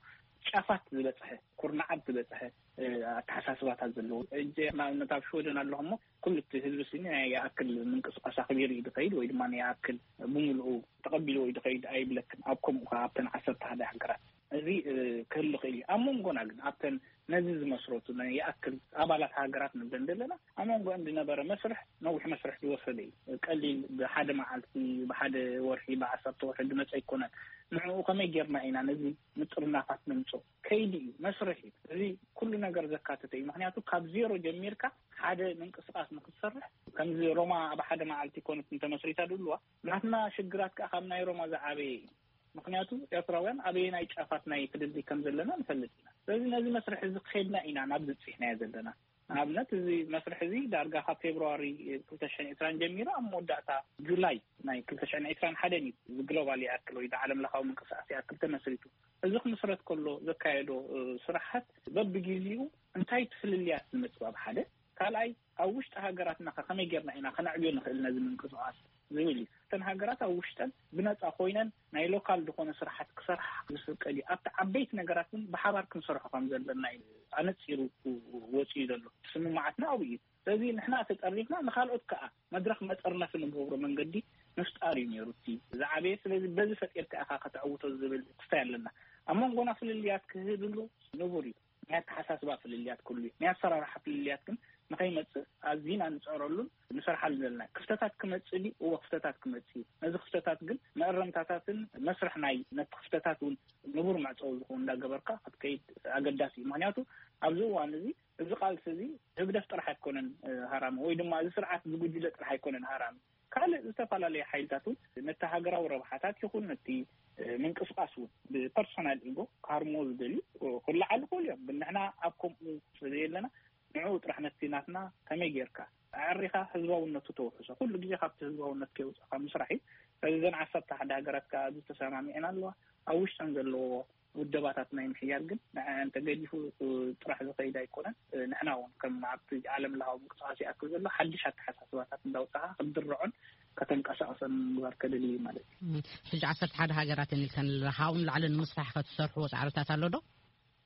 ጫፋት ዝበጽሐ፣ ኩርናዓት ዝበጽሐ፣ እ፣ ኣተሓሳስባታት ዘለዎ። እጀ ንኣብነት ኣብ ሽወደን ኣለኹ እሞ፣ ኩሉ እቲ ህዝቢ ስኒ ናይ ይኣክል ምንቅስቃስ ኣኽቢሩ እዩ ዝኸይድ፣ ወይ ድማ ናይ ይኣክል ብምልኡ ተቐቢልዎ እዩ ዝኸይድ ኣይብለክን። ኣብ ከምኡ ከኣ ኣብተን ዓሰርተ ሓደ ሃገራት እዚ፣ እ፣ ክህሉ ይኽእል እዩ። ኣብ መንጎና ግን ኣብተን ነዚ ዝመስረቱ ናይ ይኣክል ኣባላት ሃገራት ንብለን ዘለና፣ ኣብ መንጎ እንዲ ነበረ መስርሕ፣ ነዊሕ መስርሕ ዝወሰደ እዩ። ቀሊል ብሓደ መዓልቲ፣ ብሓደ ወርሒ፣ ብዓሰርተ ወርሒ ዝመጸ ኣይኮነን። ንዕኡ ከመይ ጌርና ኢና ነዚ ምጥርናፋት ነምጽኦ? ከይዲ እዩ፣ መስርሕ እዩ። እዚ ኩሉ ነገር ዘካተተ እዩ። ምክንያቱ ካብ ዜሮ ጀሚርካ ሓደ ምንቅስቃስ ንክትሰርሕ፣ ከምዚ ሮማ ኣብ ሓደ መዓልቲ ኮነት እንተመስሪታ ድልዋ፣ ናትና ሽግራት ከኣ ካብ ናይ ሮማ ዝዓበየ እዩ። ምክንያቱ ኤርትራውያን ኣበየናይ ጫፋት ናይ ፍልልይ ከም ዘለና ንፈልጥ ኢና። ስለዚ ነዚ መስርሕ እዚ ከይድና ኢና ናብ ዝብጽሕናዮ ዘለና። ንኣብነት እዚ መስርሕ እዚ ዳርጋ ካብ ፌብርዋሪ ክልተ ሽሕን ዕስራን ጀሚሩ ኣብ መወዳእታ ጁላይ ናይ ክልተ ሽሕን ዕስራን ሓደን እዩ እዚ ግሎባል ይኣክል ወይ ዓለም ለኻዊ ምንቅስቃስ ይኣክል ተመስሪቱ። እዚ ክምስረት ከሎ ዘካየዶ፣ እ፣ ስራሓት በብግዜኡ እንታይ ፍልልያት ዝመጽእ ኣብ ሓደ፣ ካልኣይ ኣብ ውሽጢ ሃገራትና ከ ከመይ ጌርና ኢና ከነዕብዮ ንኽእል ነዚ ምንቅስቃስ? ዝብል እዩ። እተን ሃገራት ኣብ ውሽጠን ብነጻ ኮይነን ናይ ሎካል ዝኾነ ስራሓት ክሰርሓ ዝፍቀድ እዩ። ኣብቲ ዓበይቲ ነገራት ግን ብሓባር ክንሰርሖ ከም ዘለና እዩ ኣነጺሩ ወጺኡ ዘሎ። ስምምዓትና ኣብኡ እዩ። ስለዚ ንሕና ተጠሪፍና ንኻልኦት ከዓ መድረኽ መጠርነፊ ንገብሮ መንገዲ ምፍጣር እዩ ነይሩ እቲ ዝዓበየ። ስለዚ በዚ ፈጢርካ ኢኻ ከተዕውቶ ዝብል ትስታይ ኣለና። ኣብ መንጎና ፍልልያት ክህሉ ንቡር እዩ። ናይ ኣተሓሳስባ ፍልልያት ክህሉ እዩ። ናይ ኣሰራርሓ ፍልልያት ግን ንኸይመጽእ ኣዚና ንጽዕረሉን ንሰርሓሉ ዘለና። ክፍተታት ክመጽእ ድዩ? እወ፣ ክፍተታት ክመጽእ እዩ። ነዚ ክፍተታት ግን መእረምታታትን መስርሕ ናይ ነቲ ክፍተታት እውን ንቡር መዕጸዊ ዝኸውን እንዳገበርካ ክትከይድ ኣገዳሲ እዩ። ምክንያቱ ኣብዚ እዋን እዚ፣ እዚ ቃልሲ እዚ ህግደፍ ጥራሕ ኣይኮነን፣ እ፣ ሃራሚ፣ ወይ ድማ እዚ ስርዓት ዝጉጅለ ጥራሕ ኣይኮነን ሃራሚ። ካልእ ዝተፈላለዩ ሓይልታት እውን ነቲ ሃገራዊ ረብሓታት ይኹን ነቲ፣ እ፣ ምንቅስቃስ እውን ብፐርሶናል ኢጎ ክሃርምዎ ዝደልዩ፣ እ፣ ክለዓሉ ክእሉ እዮም። ግን ንሕና ኣብ ከምኡ ስለ ዘየለና ንዕኡ ጥራሕ ነቲ ናትና ከመይ ጌርካ ኣዕሪኻ ህዝባውነቱ ተውሕሶ። ኩሉ ግዜ ካብቲ ህዝባውነት ከይወጻኻ ምስራሕ እዩ። ስለዚ እዘን ዓሰርተ ሓደ ሃገራት ከኣ ኣብዚ ተሰማሚዐን ኣለዋ። ኣብ ውሽጠን ዘለዎ ውደባታት ናይ ምሕያል ግን ንዐን ተገዲፉ፣ እ፣ ጥራሕ ዝኸይድ ኣይኮነን። እ፣ ንሕና እውን ከም ኣብቲ ዓለም ለኻዊ ምንቅስቃስ ይኣክል ዘሎ ሓድሽ ኣተሓሳስባታት እንዳውጻኻ ክትድርዖን ከተንቀሳቕሰን ምግባር ከድሊ እዩ ማለት እዩ። እም፣ ሕጂ ዓሰርተ ሓደ ሃገራት እየን ኢልከን ኣለኻ። ካብኡ ንላዕሊ ንምስራሕ ከ ትሰርሕዎ ጻዕርታት ኣሎ ዶ?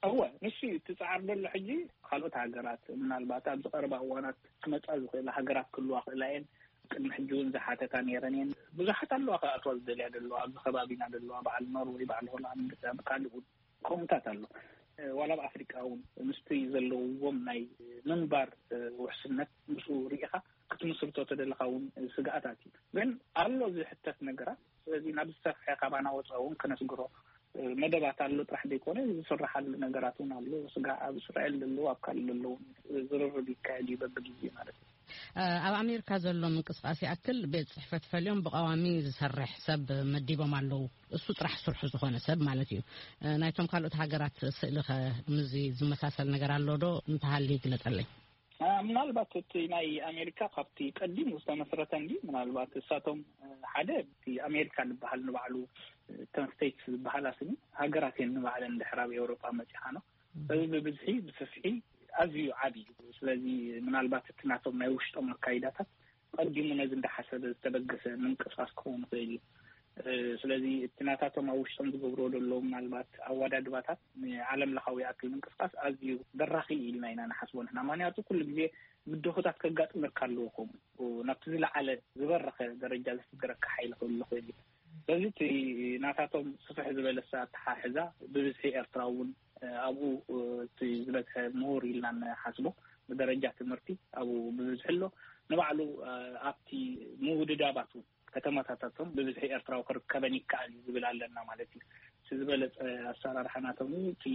እወ፣ ንሱ እዩ እቲ ጻዕሪ ዘሎ። ሕጂ ካልኦት ሃገራት ምናልባት ኣብዚ ቀረባ እዋናት ክመጻ ዝኽእላ ሃገራት ክህልዋ ክእላ እየን። ቅድሚ ሕጂ እውን ዝሓተታ ነይረን እየን። ብዙሓት ኣለዋ ክኣትዋ ዝደልያ ዘለዋ፣ ኣብዚ ከባቢና ዘለዋ፣ በዓል ኖርወይ፣ በዓል ሆላንድ፣ ኣብ ካልእ እውን ከምኡታት ኣሎ። እ፣ ዋላ ኣብ ኣፍሪቃ እውን ምስቲ ዘለውዎም ናይ ምንባር፣ እ፣ ውሕስነት ምስኡ ርኢኻ ክትምስርቶ ተደለኻ እውን ስግኣታት እዩ። ግን ኣሎ ዝሕተት ነገራት። ስለዚ ናብ ዝሰፍሐ ካባና ወፃኢ እውን ከነስግሮ፣ እ፣ መደባት ኣሎ ጥራሕ ዘይኮነ ዝስራሓሉ ነገራት እውን ኣሎ። ስጋዕ ኣብ እስራኤል ዘለዉ፣ ኣብ ካልእ ዘለዉ እውን ዝርርብ ይካየድ እዩ በብግዜ ማለት እዩ። እ፣ ኣብ ኣሜሪካ ዘሎ ምንቅስቃስ ይኣክል ቤት ጽሕፈት ፈልዮም ብቀዋሚ ዝሰርሕ ሰብ መዲቦም ኣለዉ። እሱ ጥራሕ ስርሑ ዝኾነ ሰብ ማለት እዩ። እ፣ ናይቶም ካልኦት ሃገራት ስእሊ ኸ ምስዚ ዝመሳሰል ነገር ኣሎ ዶ? እንተሃልዩ ይግለጸለይ። እ፣ ምናልባት እቲ ናይ ኣሜሪካ ካብቲ ቀዲሙ ዝተመስረተ እንዲ ምናልባት እሳቶም፣ እ፣ ሓደ እቲ ኣሜሪካ ዝበሃል ንባዕሉ፣ እ፣ እተን ስቴትስ ዝበሃላ ስኒ ሃገራት እየን ንባዕለን ድሕር ኣብ ኤውሮጳ መጺኻ ነው። እዚ ብብዝሒ ብስፍሒ ኣዝዩ ዓቢ እዩ። ስለዚ ምናልባት እቲ ናቶም ናይ ውሽጦም ኣካይዳታት ቀዲሙ ነዚ እንዳሓሰበ ዝተበገሰ ምንቅስቃስ ክኸውን ይኽእል እዩ። እ፣ ስለዚ እቲ ናታቶም ኣብ ውሽጦም ዝገብርዎ ዘለዉ ምናልባት ኣወዳድባታት ንዓለም ለኻዊ ይኣክል ምንቅስቃስ ኣዝዩ በራኺ ኢልና ኢና ንሓስቦ ንሕና። ምክንያቱ ኩሉ ግዜ ብድሆታት ከጋጥመካ ኣለዎ። ከምኡ ናብቲ ዝለዓለ ዝበረኸ ደረጃ ዘስግረካ ሓይሊ ክህሉ ይኽእል እዩ። ስለዚ እቲ ናታቶም ስፍሕ ዝበለ ኣተሓሕዛ ብብዝሒ ኤርትራ እውን፣ እ፣ ኣብኡ፣ እ፣ እቲ ዝበዝሐ ምሁር ኢልና ንሓስቦ ብደረጃ ትምህርቲ ኣብኡ ብብዝሒ ኣሎ። ንባዕሉ፣ እ፣ ኣብቲ ምውድዳባት እውን ከተማታታቶም ብብዝሒ ኤርትራዊ ክርከበን ይከኣል እዩ ዝብል ኣለና ማለት እዩ። እቲ ዝበለጸ ኣሰራርሓ ናቶም እዩ። እቲ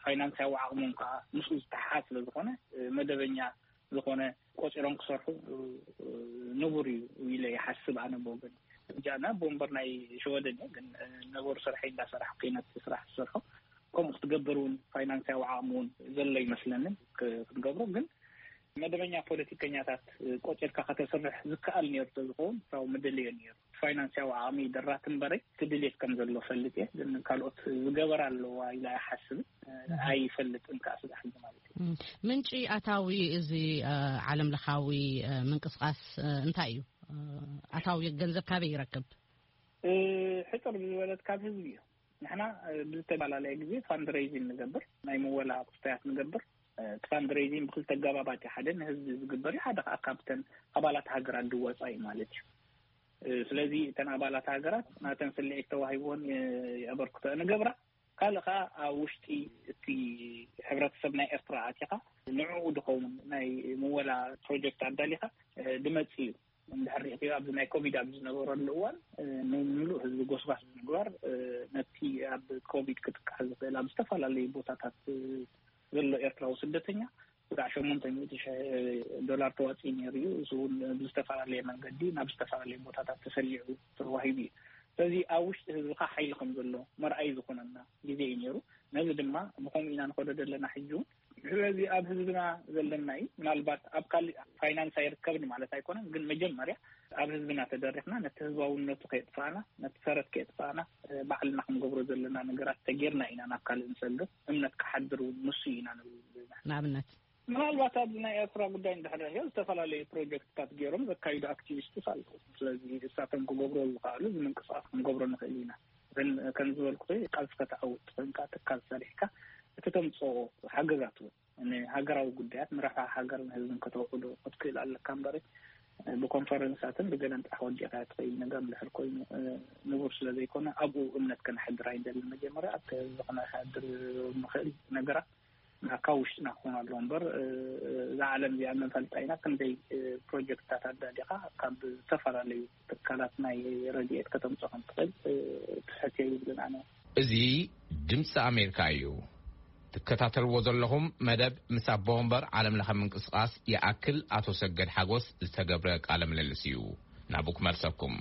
ፋይናንሳዊ ዓቕሞም ከዓ ምስኡ ዝተሓሓዝ ስለ ዝኾነ፣ እ፣ መደበኛ ዝኾነ ቆጺሮም ክሰርሑ፣ እ፣ ንቡር እዩ ኢለ ይሓስብ ኣነ ብወገን። ሕጂ ኣነ ኣቦ ወንበር ናይ ሸወደን እየ፣ ግን፣ እ፣ ነበር ስርሐይ እንዳሰራሕኩ እየ ነቲ ስራሕ ዝሰርሖ። ከምኡ ክትገብር እውን ፋይናንሳዊ ዓቕሚ እውን ዘሎ ይመስለንን ክ-፣ ክትገብሮ። ግን መደበኛ ፖለቲከኛታት፣ እ፣ ቆጺርካ ከተስርሕ ዝከኣል ነይሩ ተዝኸውን ካብኡ ምደለዮ ነይሩ። ፋይናንሳዊ ዓቕሚ ደራት እምበረይ እቲ ድሌት ከም ዘሎ ፈልጥ እየ። ግን ካልኦት ዝገበራ ኣለዋ ኢለ ኣይሓስብን፣ እ፣ እህ። ኣይፈልጥን ከዓ ስጋሕ ማለት እዩ። እም፣ ምንጪ ኣታዊ እዚ፣ እ፣ ዓለም ለኻዊ፣ እ፣ ምንቅስቃስ፣ እ፣ እንታይ እዩ? እ፣ ኣታዊ ገንዘብ ካበይ ይረክብ? እ፣ ሕጽር ዝበለት ካብ ህዝቢ እዩ። ንሕና፣ እ፣ ብዝተፈላለየ ግዜ ፋንድሬይዚንግ ንገብር፣ ናይ ምወላ ክስታያት ንገብር። እ፣ እቲ ፋንድሬይዚንግ ብክልተ ኣገባባት እዩ። ሓደ ንህዝቢ ዝግበር እዩ፣ ሓደ ከዓ ካብተን ኣባላት ሃገራት ዝወፃ እዩ ማለት እዩ። እ፣ ስለዚ እተን ኣባላት ሃገራት ናተን ስልዒት ተዋሂብዎን፣ እ፣ የበርክቶ ንገብራ። ካልእ ከዓ ኣብ ውሽጢ እቲ ሕብረተሰብ ናይ ኤርትራ ኣቲኻ ንዕኡ ድኸውን ናይ ምወላ ፕሮጀክት ኣዳሊኻ፣ እ፣ ድመጽእ እዩ። እንድሕር ሪእኽዮ ኣብዚ ናይ ኮቪድ ኣብ ዝነበረሉ እዋን፣ እ፣ ንምሉእ ህዝቢ ጎስጓስ ብምግባር፣ እ፣ ነቲ ኣብ ኮቪድ ክጥቃዕ ዝኽእል ኣብ ዝተፈላለዩ ቦታታት፣ እ፣ ዘሎ ኤርትራዊ ስደተኛ ስጋዕ ሸሞንተ ሚእቲ ሽሕ ዶላር ተዋፂኡ ነይሩ እዩ። እሱ እውን ብዝተፈላለየ መንገዲ ናብ ዝተፈላለየ ቦታታት ተሰሊዑ ተዋሂቡ እዩ። ስለዚ ኣብ ውሽጢ ህዝብኻ ሓይሊ ከም ዘሎ መርኣይ ዝኾነና ግዜ እዩ ነይሩ። ነዚ ድማ ብኸምኡ ኢና ንኸዶ ዘለና ሕጂ እውን። ስለዚ ኣብ ህዝብና ዘለና እዩ። ምናልባት ኣብ ካልእ ፋይናንስ ኣይርከብን ማለት ኣይኮነን፣ ግን መጀመርያ ኣብ ህዝብና ተደሪኽና ነቲ ህዝባውነቱ ከየጥፋእና፣ ነቲ ሰረት ከየጥፋእና፣ እ፣ ባዕልና ክንገብሮ ዘለና ነገራት ተጌርና ኢና ናብ ካልእ ንሰግር። እምነት ክሓድር እውን ንሱ ኢና ንብል ንሕና። ንኣብነት? ምናልባት ኣብዚ ናይ ኤርትራ ጉዳይ እንድሕር ርኢዮ፣ ዝተፈላለዩ ፕሮጀክትታት ገይሮም ዘካይዱ ኣክቲቪስትስ ኣለዉ። ስለዚ እሳቶም ክገብሮ ዝኽኣሉ እዚ ምንቅስቃስ ክንገብሮ ንኽእል ኢና። ግን ከም ዝበልኩ፣ ቃልሲ ከተዓውት ኮይንካ፣ ትካል ሰሪሕካ፣ እቲ ተምፅኦ ሓገዛት እውን ንሃገራዊ ጉዳያት፣ ንረብሓ ሃገርን ህዝብን ከተውዕሎ ክትክእል ኣለካ እምበር፣ ብኮንፈረንሳትን ብገለን ጥራሕ ወዲእካ ትኽእል ነገር እንድሕር ኮይኑ፣ ንቡር ስለ ዘይኮነ፣ ኣብኡ እምነት ከነሕድር ኣይንደልን። መጀመርያ ኣብቲ ህዝቢ ከነሕድር ንኽእል ነገራት ካብ ውሽጥና ክኾኑ ኣለዎ እምበር፣ እዛ ዓለም እዚኣ ንፈልጣ ኢና። ክንደይ ፕሮጀክትታት ኣዳሊኻ ካብ ዝተፈላለዩ ትካላት ናይ ረድኤት ከተምፅኦ ከም ትኽእል ትሕት የብልን። ኣነ እዚ ድምፂ ኣሜሪካ እዩ። ትከታተልዎ ዘለኹም መደብ ምስ ኣቦ ወንበር ዓለም ለኸ ምንቅስቃስ ይኣክል ኣቶ ሰገድ ሓጎስ ዝተገብረ ቃለ ምልልስ እዩ። ናብኡ ክመልሰኩም።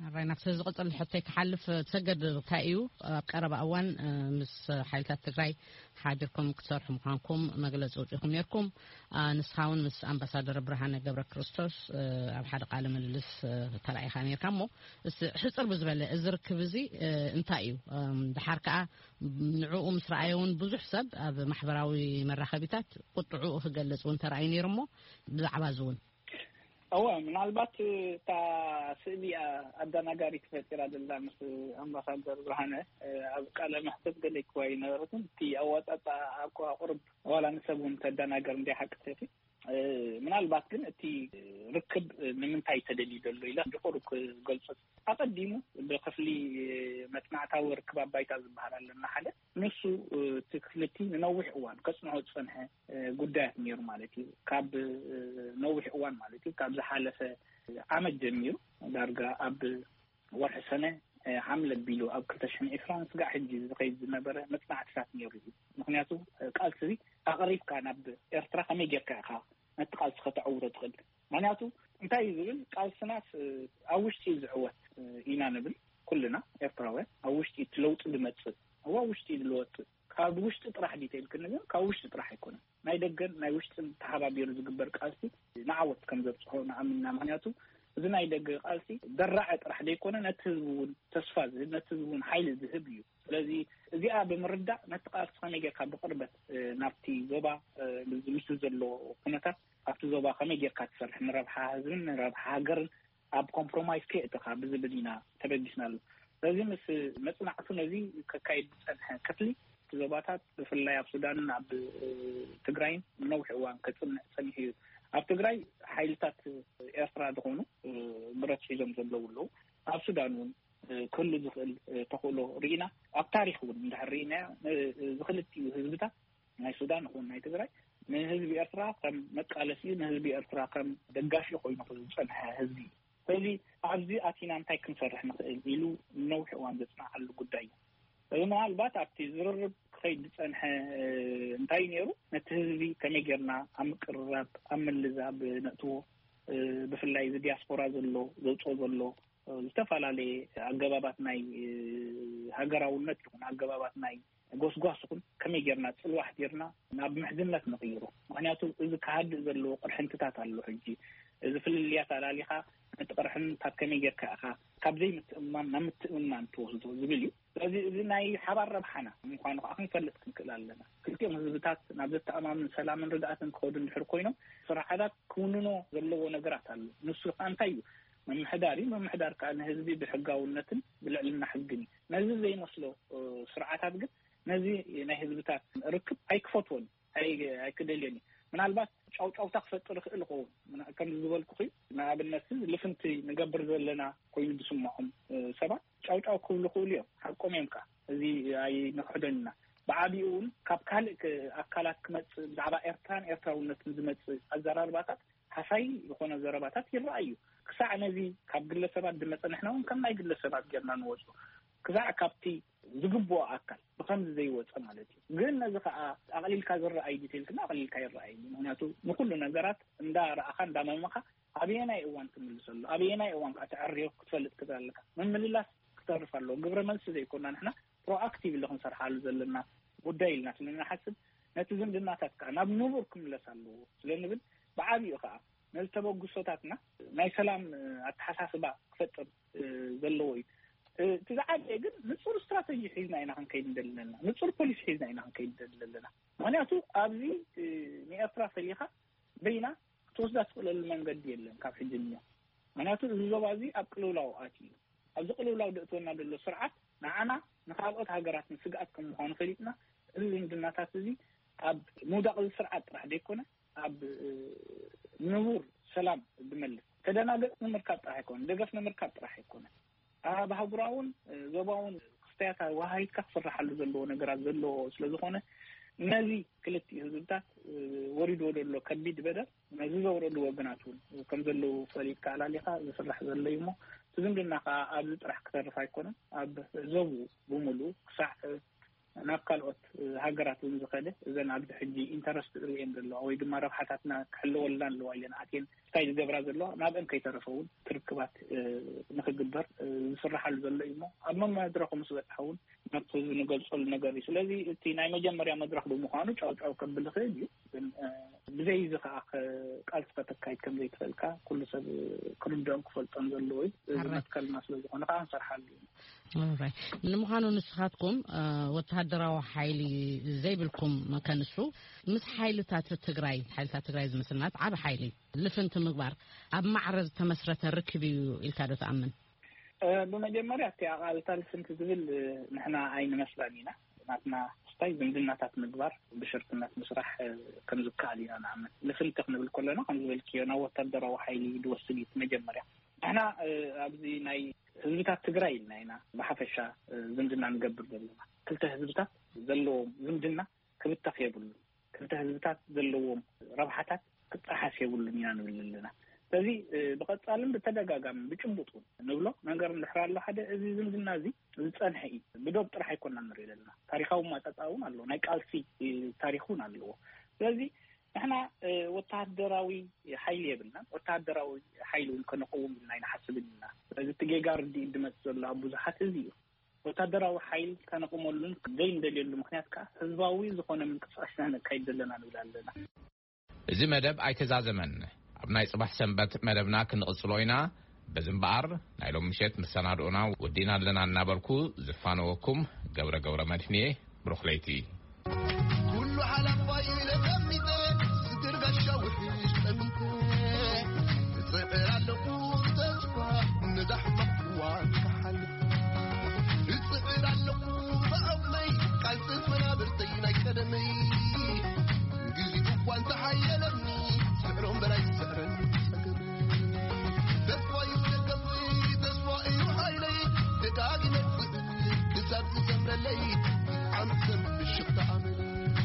ኣራይ፣ ናብቲ ዝቕጽል ሕቶይ ክሓልፍ፣ ትሰገድ፣ እንታይ እዩ ኣብ ቀረባ እዋን ምስ ሓይልታት ትግራይ ሓቢርኩም ክትሰርሑ ምዃንኩም መግለጺ ኣውጺእኩም ነርኩም። ንስኻ እውን ምስ ኣምባሳደር ብርሃነ ገብረ ክርስቶስ ኣብ ሓደ ቃለ ምልልስ ተራኢኻ ነርካ። እሞ ሕጽር ብዝበለ፣ እዚ ርክብ እዚ እንታይ እዩ? ድሓር ከኣ ንዕኡ ምስ ረኣየ እውን ብዙሕ ሰብ ኣብ ማሕበራዊ መራኸቢታት ቁጥዑ ክገልጽ እውን ተራእዩ ነይሩ። እሞ ብዛዕባ እዚ እውን። እወ፣ ምናልባት እታ ስእሊ ኣደናጋሪ ተፈጢራ ዘላ ምስ ኣምባሳደር ብርሃነ ኣብ ቃለ መሕተት ገለ ክዋ ይነበረትን፣ እቲ ኣዋጣጣ ኣቋ ቁርብ ዋላ ንሰብ እውን ተደናገር እንደ ሓቂ ተቲ ምናልባት ግን እቲ ርክብ ንምንታይ ተደልዩ ዘሎ ኢለ ድቁር ክገልጾ፣ ኣቐዲሙ ብክፍሊ መጽናዕታዊ ርክብ ኣባይታ ዝበሃል ኣለና ሓደ፣ ንሱ እቲ ክፍሊ እቲ ንነዊሕ እዋን ከጽንዖ ዝጸንሐ ጉዳያት ነይሩ ማለት እዩ። ካብ ነዊሕ እዋን ማለት እዩ፣ ካብ ዝሓለፈ ዓመት ጀሚሩ ዳርጋ ኣብ ወርሒ ሰነ ሓምለ ኣቢሉ ኣብ ክልተ ሽሕን ዕስራን ስጋዕ ሕጂ ዝኸይድ ዝነበረ መጽናዕትታት ነይሩ እዩ። ምክንያቱ ቃልሲ ኣቕሪብካ ናብ ኤርትራ ከመይ ጌርካ ኢኻ ነቲ ቃልሲ ከተዕውቶ ትኽእል? ምክንያቱ እንታይ እዩ ዝብል፣ ቃልስናስ ኣብ ውሽጢ እዩ ዝዕወት ኢና ንብል ኩልና ኤርትራውያን። ኣብ ውሽጢ እቲ ለውጢ ዝመጽእ፣ ኣብ ውሽጢ እዩ ዝለወጥ። ካብ ውሽጢ ጥራሕ ድዩ ተልክኒ፣ ግን ካብ ውሽጢ ጥራሕ ኣይኮነን። ናይ ደገን ናይ ውሽጥን ተሓባቢሩ ዝግበር ቃልሲ ንዓወት ከም ዘብጽሖ ንኣምንና። ምክንያቱ እዚ ናይ ደገ ቃልሲ ደራዐ ጥራሕ ዘይኮነ፣ ነቲ ህዝቢ እውን ተስፋ ዝህብ፣ ነቲ ህዝቢ እውን ሓይሊ ዝህብ እዩ። ስለዚ እዚኣ ብምርዳእ ነቲ ቃልሲ ከመይ ጌርካ ብቕርበት ናብቲ ዞባ፣ ምስ ዘሎ ኩነታት ኣብቲ ዞባ ከመይ ጌርካ ትሰርሕ፣ ንረብሓ ህዝብን ንረብሓ ሃገርን ኣብ ኮምፕሮማይዝ ከየእተኻ ብዝብል ኢና ተበጊስናሉ። ስለዚ ምስ መጽናዕቱ ነዚ ከካይድ ዝጸንሐ ክፍሊ፣ እቲ ዞባታት ብፍላይ ኣብ ሱዳንን ኣብ ትግራይን ንነዊሕ እዋን ከጽንዕ ጸኒሑ እዩ። ኣብ ትግራይ ሓይልታት ኤርትራ ዝኾኑ ብረት ሒዞም ዘለዉ ኣለዉ። ኣብ ሱዳን እውን ክህሉ ዝኽእል ተኽእሎ ርኢና። ኣብ ታሪኽ እውን እንድሕር ርኢና፣ ዝኽልቲኡ ህዝብታት ናይ ሱዳን ይኹን ናይ ትግራይ ንህዝቢ ኤርትራ ከም መቃለሲ፣ ንህዝቢ ኤርትራ ከም ደጋፊ ኮይኑ ዝጸንሐ ህዝቢ እዩ። ስለዚ ኣብዚ ኣቲና እንታይ ክንሰርሕ ንኽእል ኢሉ ነዊሕ እዋን ዘጽናዓሉ ጉዳይ እዩ። እዚ ምናልባት ኣብቲ ዝርርብ ክኸይድ ዝጸንሐ እንታይ ነይሩ፣ ነቲ ህዝቢ ከመይ ጌርና ኣብ ምቅርራብ፣ ኣብ ምልዛብ ነእትዎ፣ ብፍላይ እዚ ዲያስፖራ ዘሎ፣ ዘውፅኦ ዘሎ ዝተፈላለየ ኣገባባት ናይ ሃገራውነት ይኹን ኣገባባት ናይ ጎስጓስ ይኹን ከመይ ጌርና ጽልዋሕ ጌርና ናብ ምሕዝነት ንቕይሮ። ምክንያቱ እዚ ክሃድእ ዘለዎ ቅርሕንትታት ኣሎ። ሕጂ እዚ ፍልልያት ኣላሊኻ ነቲ ቅርሕንታት ከመይ ጌርካ ኢኻ ካብ ዘይምትእምማን ናብ ምትእምማን ትወስዶ ዝብል እዩ። ስለዚ እዚ ናይ ሓባር ረብሓና ምዃኑ ከዓ ክንፈልጥ ክንክእል ኣለና። ክልቲኦም ህዝብታት ናብ ዘተኣማምን ሰላምን ርግኣትን ክኸዱ እንድሕር ኮይኖም ስርዓታት ክውንኖ ዘለዎ ነገራት ኣሎ። ንሱ ከዓ እንታይ እዩ? ምምሕዳር እዩ። ምምሕዳር ከዓ ንህዝቢ ብሕጋውነትን ብልዕልና ሕግን እዩ። ነዚ ዘይመስሎ ስርዓታት ግን ነዚ ናይ ህዝብታት ርክብ ኣይክፈትዎን፣ ኣይክደልዮን እዩ። ምናልባት ጫውጫውታ ክፈጥር ይኽእል ይኸውን። ከምዚ ዝበልኩ እዩ። ንኣብነት ልፍንቲ ንገብር ዘለና ኮይኑ ዝስምዖም ሰባት ጫውጫው ክብሉ ይኽእሉ እዮም። ሓቆም እዮም ከዓ፣ እዚ ኣይንክሕዶን ኢና። ብዓቢኡ እውን ካብ ካልእ ኣካላት ክመፅእ፣ ብዛዕባ ኤርትራን ኤርትራውነትን ዝመፅእ ኣዘራርባታት ሃሳይ ዝኾነ ዘረባታት ይረኣዩ። ክሳዕ ነዚ ካብ ግለሰባት ዝመፀ፣ ንሕና እውን ከም ናይ ግለሰባት ጌርና ንወፁ፣ ክሳዕ ካብቲ ዝግብኦ ኣካል ብኸምዚ ዘይወፀ ማለት እዩ። ግን ነዚ ከዓ ኣቕሊልካ ዝረኣይ ዲቴልክና ኣቕሊልካ ይረኣይ። ምክንያቱ ንኩሉ ነገራት እንዳረኣኻ እንዳመመኻ ኣበየናይ እዋን ትምልሰሉ፣ ኣበየናይ እዋን ከዓ ተዕርዮ ክትፈልጥ ክትል ኣለካ። ምምልላስ ክተርፍ ኣለዎ። ግብረ መልሲ ዘይኮና ንሕና ፕሮኣክቲቭ ኢለ ክንሰርሓሉ ዘለና ጉዳይ ኢልና ስለንሓስብ፣ ነቲ ዝምድናታት ከዓ ናብ ንቡር ክምለስ ኣለዎ ስለንብል፣ ብዓቢኡ ከዓ ነዚ ተበግሶታትና ናይ ሰላም ኣተሓሳስባ ክፈጥር ዘለዎ እዩ። እቲ ዝዓበየ ግን ንፁር ስትራተጂ ሒዝና ኢና ክንከይድ እንደለና፣ ንፁር ፖሊሲ ሒዝና ኢና ክንከይድ እንደለና። ምክንያቱ ኣብዚ ንኤርትራ ፈሊኻ በይና ክትወስዳ ትኽእለሉ መንገዲ የለን ካብ ሕጂ ንዮ። ምክንያቱ እዚ ዞባ እዚ ኣብ ቅልውላው ኣትዩ እዩ። ኣብዚ ቅልውላው ደእትወና ዘሎ ስርዓት ንዓና ንካልኦት ሃገራት ንስግኣት ከም ምዃኑ ፈሊጥና፣ እዚ ዝምድናታት እዚ ኣብ ምውዳቕ እዚ ስርዓት ጥራሕ ዘይኮነ ኣብ ንቡር ሰላም ዝመልስ፣ ተደናገጽ ንምርካብ ጥራሕ ኣይኮነ፣ ደገፍ ንምርካብ ጥራሕ ኣይኮነ፣ ኣብ ኣህጉራውን ዞባውን ክስተያት ወሃሂትካ ክስራሓሉ ዘለዎ ነገራት ዘለዎ ስለ ዝኾነ፣ ነዚ ክልቲኡ ህዝብታት ወሪድዎ ዘሎ ከቢድ በደል ነዚ ዘውረዱ ወገናት እውን ከም ዘለዉ ፈሊጥካ ኣላሊኻ ዝስራሕ ዘሎ እዩ እሞ፣ እቲ ዝምድና ከዓ ኣብዚ ጥራሕ ክተርፍ ኣይኮነን። ኣብ ዞቡ ብምሉኡ ክሳዕ ናብ ካልኦት ሃገራት እውን ዝኸደ፣ እዘን ኣብዚ ሕጂ ኢንተረስት ርእየን ዘለዋ ወይ ድማ ረብሓታትና ክሕለወልና ኣለዋ ኢለን ኣትየን እንታይ ዝገብራ ዘለዋ፣ ናብአን ከይተረፈ እውን ክርክባት ንክግበር ዝስራሓሉ ዘሎ እዩ እሞ፣ ኣብ መመድረኹ ምስ በፅሐ እውን ነቲ ህዝቢ ንገልፀሉ ነገር እዩ። ስለዚ እቲ ናይ መጀመርያ መድረኽ ብምዃኑ ጫው ጫው ከብል ይኽእል እዩ። ግን ብዘይ እዚ ከዓ ቃልሲ ከተካይድ ከም ዘይትኽእልካ ኩሉ ሰብ ክርድኦም ክፈልጦም ዘለዎ እዩ። እዚ መትከልና ስለ ዝኾነ ከዓ ንሰርሓሉ እዩ። ንምዃኑ ንስኻትኩም ወተሃደራዊ ሓይሊ ዘይብልኩም ከንሱ፣ ምስ ሓይልታት ትግራይ፣ ሓይልታት ትግራይ ዝምስልናት ዓብ ሓይሊ ልፍንቲ ምግባር ኣብ ማዕረ ዝተመስረተ ርክብ እዩ ኢልካ ዶ ትኣምን? ብመጀመርያ እቲ ኣቓልታ ልፍንቲ ዝብል ንሕና ኣይንመስላን ኢና። ናትና ስታይ ዝምድናታት ምግባር፣ ብሽርክነት ምስራሕ ከም ዝከኣል ኢና ንኣምን። ልፍንቲ ክንብል ከለና ከም ዝበልክዮ ናብ ወታደራዊ ሓይሊ ድወስድ እዩ መጀመርያ። ንሕና ኣብዚ ናይ ህዝብታት ትግራይ ኢልና ኢና ብሓፈሻ ዝምድና ንገብር ዘለና። ክልተ ህዝብታት ዘለዎም ዝምድና ክብተኽ የብሉ። ክልተ ህዝብታት ዘለዎም ረብሓታት ክጠሓስ የብሉን ኢና ንብል ኣለና። ስለዚ ብቐጻልን ብተደጋጋሚ ብጭቡጥ እውን ንብሎ ነገር እንድሕር ኣሎ፣ ሓደ እዚ ዝምድና እዚ ዝጸንሐ እዩ። ብዶብ ጥራሕ ኣይኮና ንርኢ ዘለና። ታሪኻዊ ማጠጣ እውን ኣለዎ። ናይ ቃልሲ ታሪክ እውን ኣለዎ። ስለዚ ንሕና ወተሃደራዊ ሓይሊ የብልናን፣ ወተሃደራዊ ሓይሊ እውን ከነቀውም ኢልና ኣይንሓስብን ኢና። ስለዚ እቲ ጌጋ ርድኢት ድመጽእ ዘሎ ኣብ ብዙሓት እዚ እዩ። ወታደራዊ ሓይል ከነቕመሉን ዘይንደልየሉ ምክንያት ከኣ ህዝባዊ ዝኾነ ምንቅስቃስ ኢና ነካይድ ዘለና ንብል ኣለና። እዚ መደብ ኣይተዛዘመን። ኣብ ናይ ጽባሕ ሰንበት መደብና ክንቕጽሎ ኢና። በዚ እምበኣር ናይ ሎም ምሸት መሰናድኦና ወዲና ኣለና እናበልኩ ዝፋነወኩም ገብረ ገብረ መድህንየ። ብሩኽ ለይቲ። ኩሉ ሓላፋይ ኢለ ቀሚጠ፣ ዝግርጋሻ ውሕሽ ጠሚተ፣ እጽዕር ኣለኹ ብተስፋ ነዛ ሕማቕ እዋን ክሓልፍ። እጽዕር ኣለኹ ብዓቕመይ፣ ቃልሲ መናብርተይ ናይ ቀደመይ። ግዜኡ እኳ እንተሓየለኒ፣ ስዕሮም በላይ ዝስዕረኒ ጸገመይ። ተስፋ እዩ ደገፍይ፣ ተስፋ እዩ ሓይለይ፣ ደጋጊመ ክስእ ክሳብ ዝሰምረለይ፣ ዓመት ሰንበት ምሽኽቲ ኣመለይ።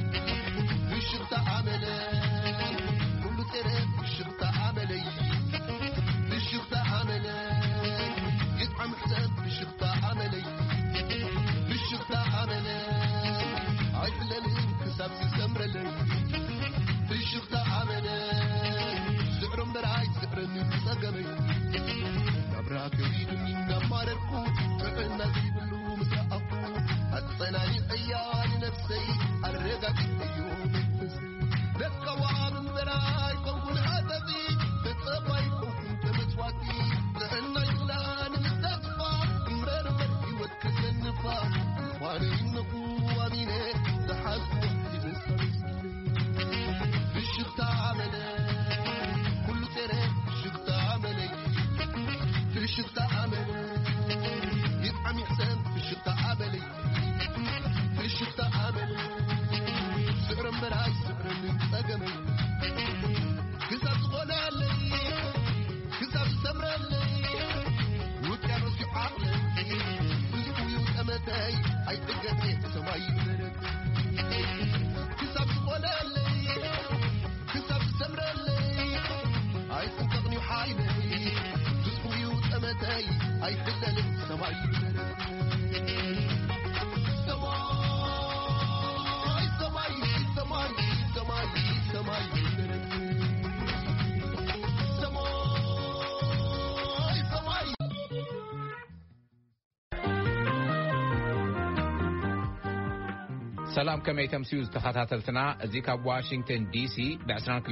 ሰላም፣ ከመይ ተምስዩ ዝተኸታተልትና? እዚ ካብ ዋሽንግተን ዲሲ ብ22፣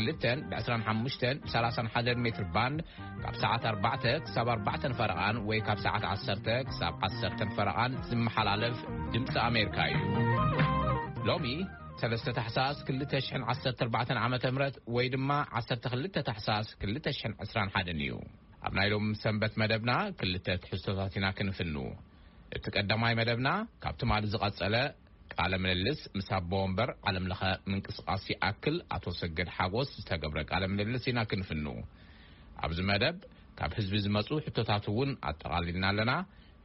ብ25፣ ብ31 ሜትር ባንድ ካብ ሰዓት ኣርባዕተ ክሳብ ኣርባዕተን ፈረቓን ወይ ካብ ሰዓት ዓሰርተ ክሳብ ዓሰርተን ፈረቓን ዝመሓላለፍ ድምፂ ኣሜሪካ እዩ። ሎሚ ሰለስተ ታሕሳስ ክልተ ሽሕን ዓሰርተ ኣርባዕተን ዓመተ ምህረት ወይ ድማ ዓሰርተ ክልተ ታሕሳስ ክልተ ሽሕን ዕስራን ሓደን እዩ። ኣብ ናይ ሎም ሰንበት መደብና ክልተ ትሕዝቶታት ኢና ክንፍኑ። እቲ ቀዳማይ መደብና ካብ ትማሊ ዝቐጸለ ቃለ ምልልስ ምስ ኣቦ ወንበር ዓለም ለኸ ምንቅስቃስ ይኣክል ኣቶ ሰገድ ሓጎስ ዝተገብረ ቃለ ምልልስ ኢና ክንፍኑ። ኣብዚ መደብ ካብ ህዝቢ ዝመጹ ሕቶታት እውን ኣጠቓሊልና ኣለና።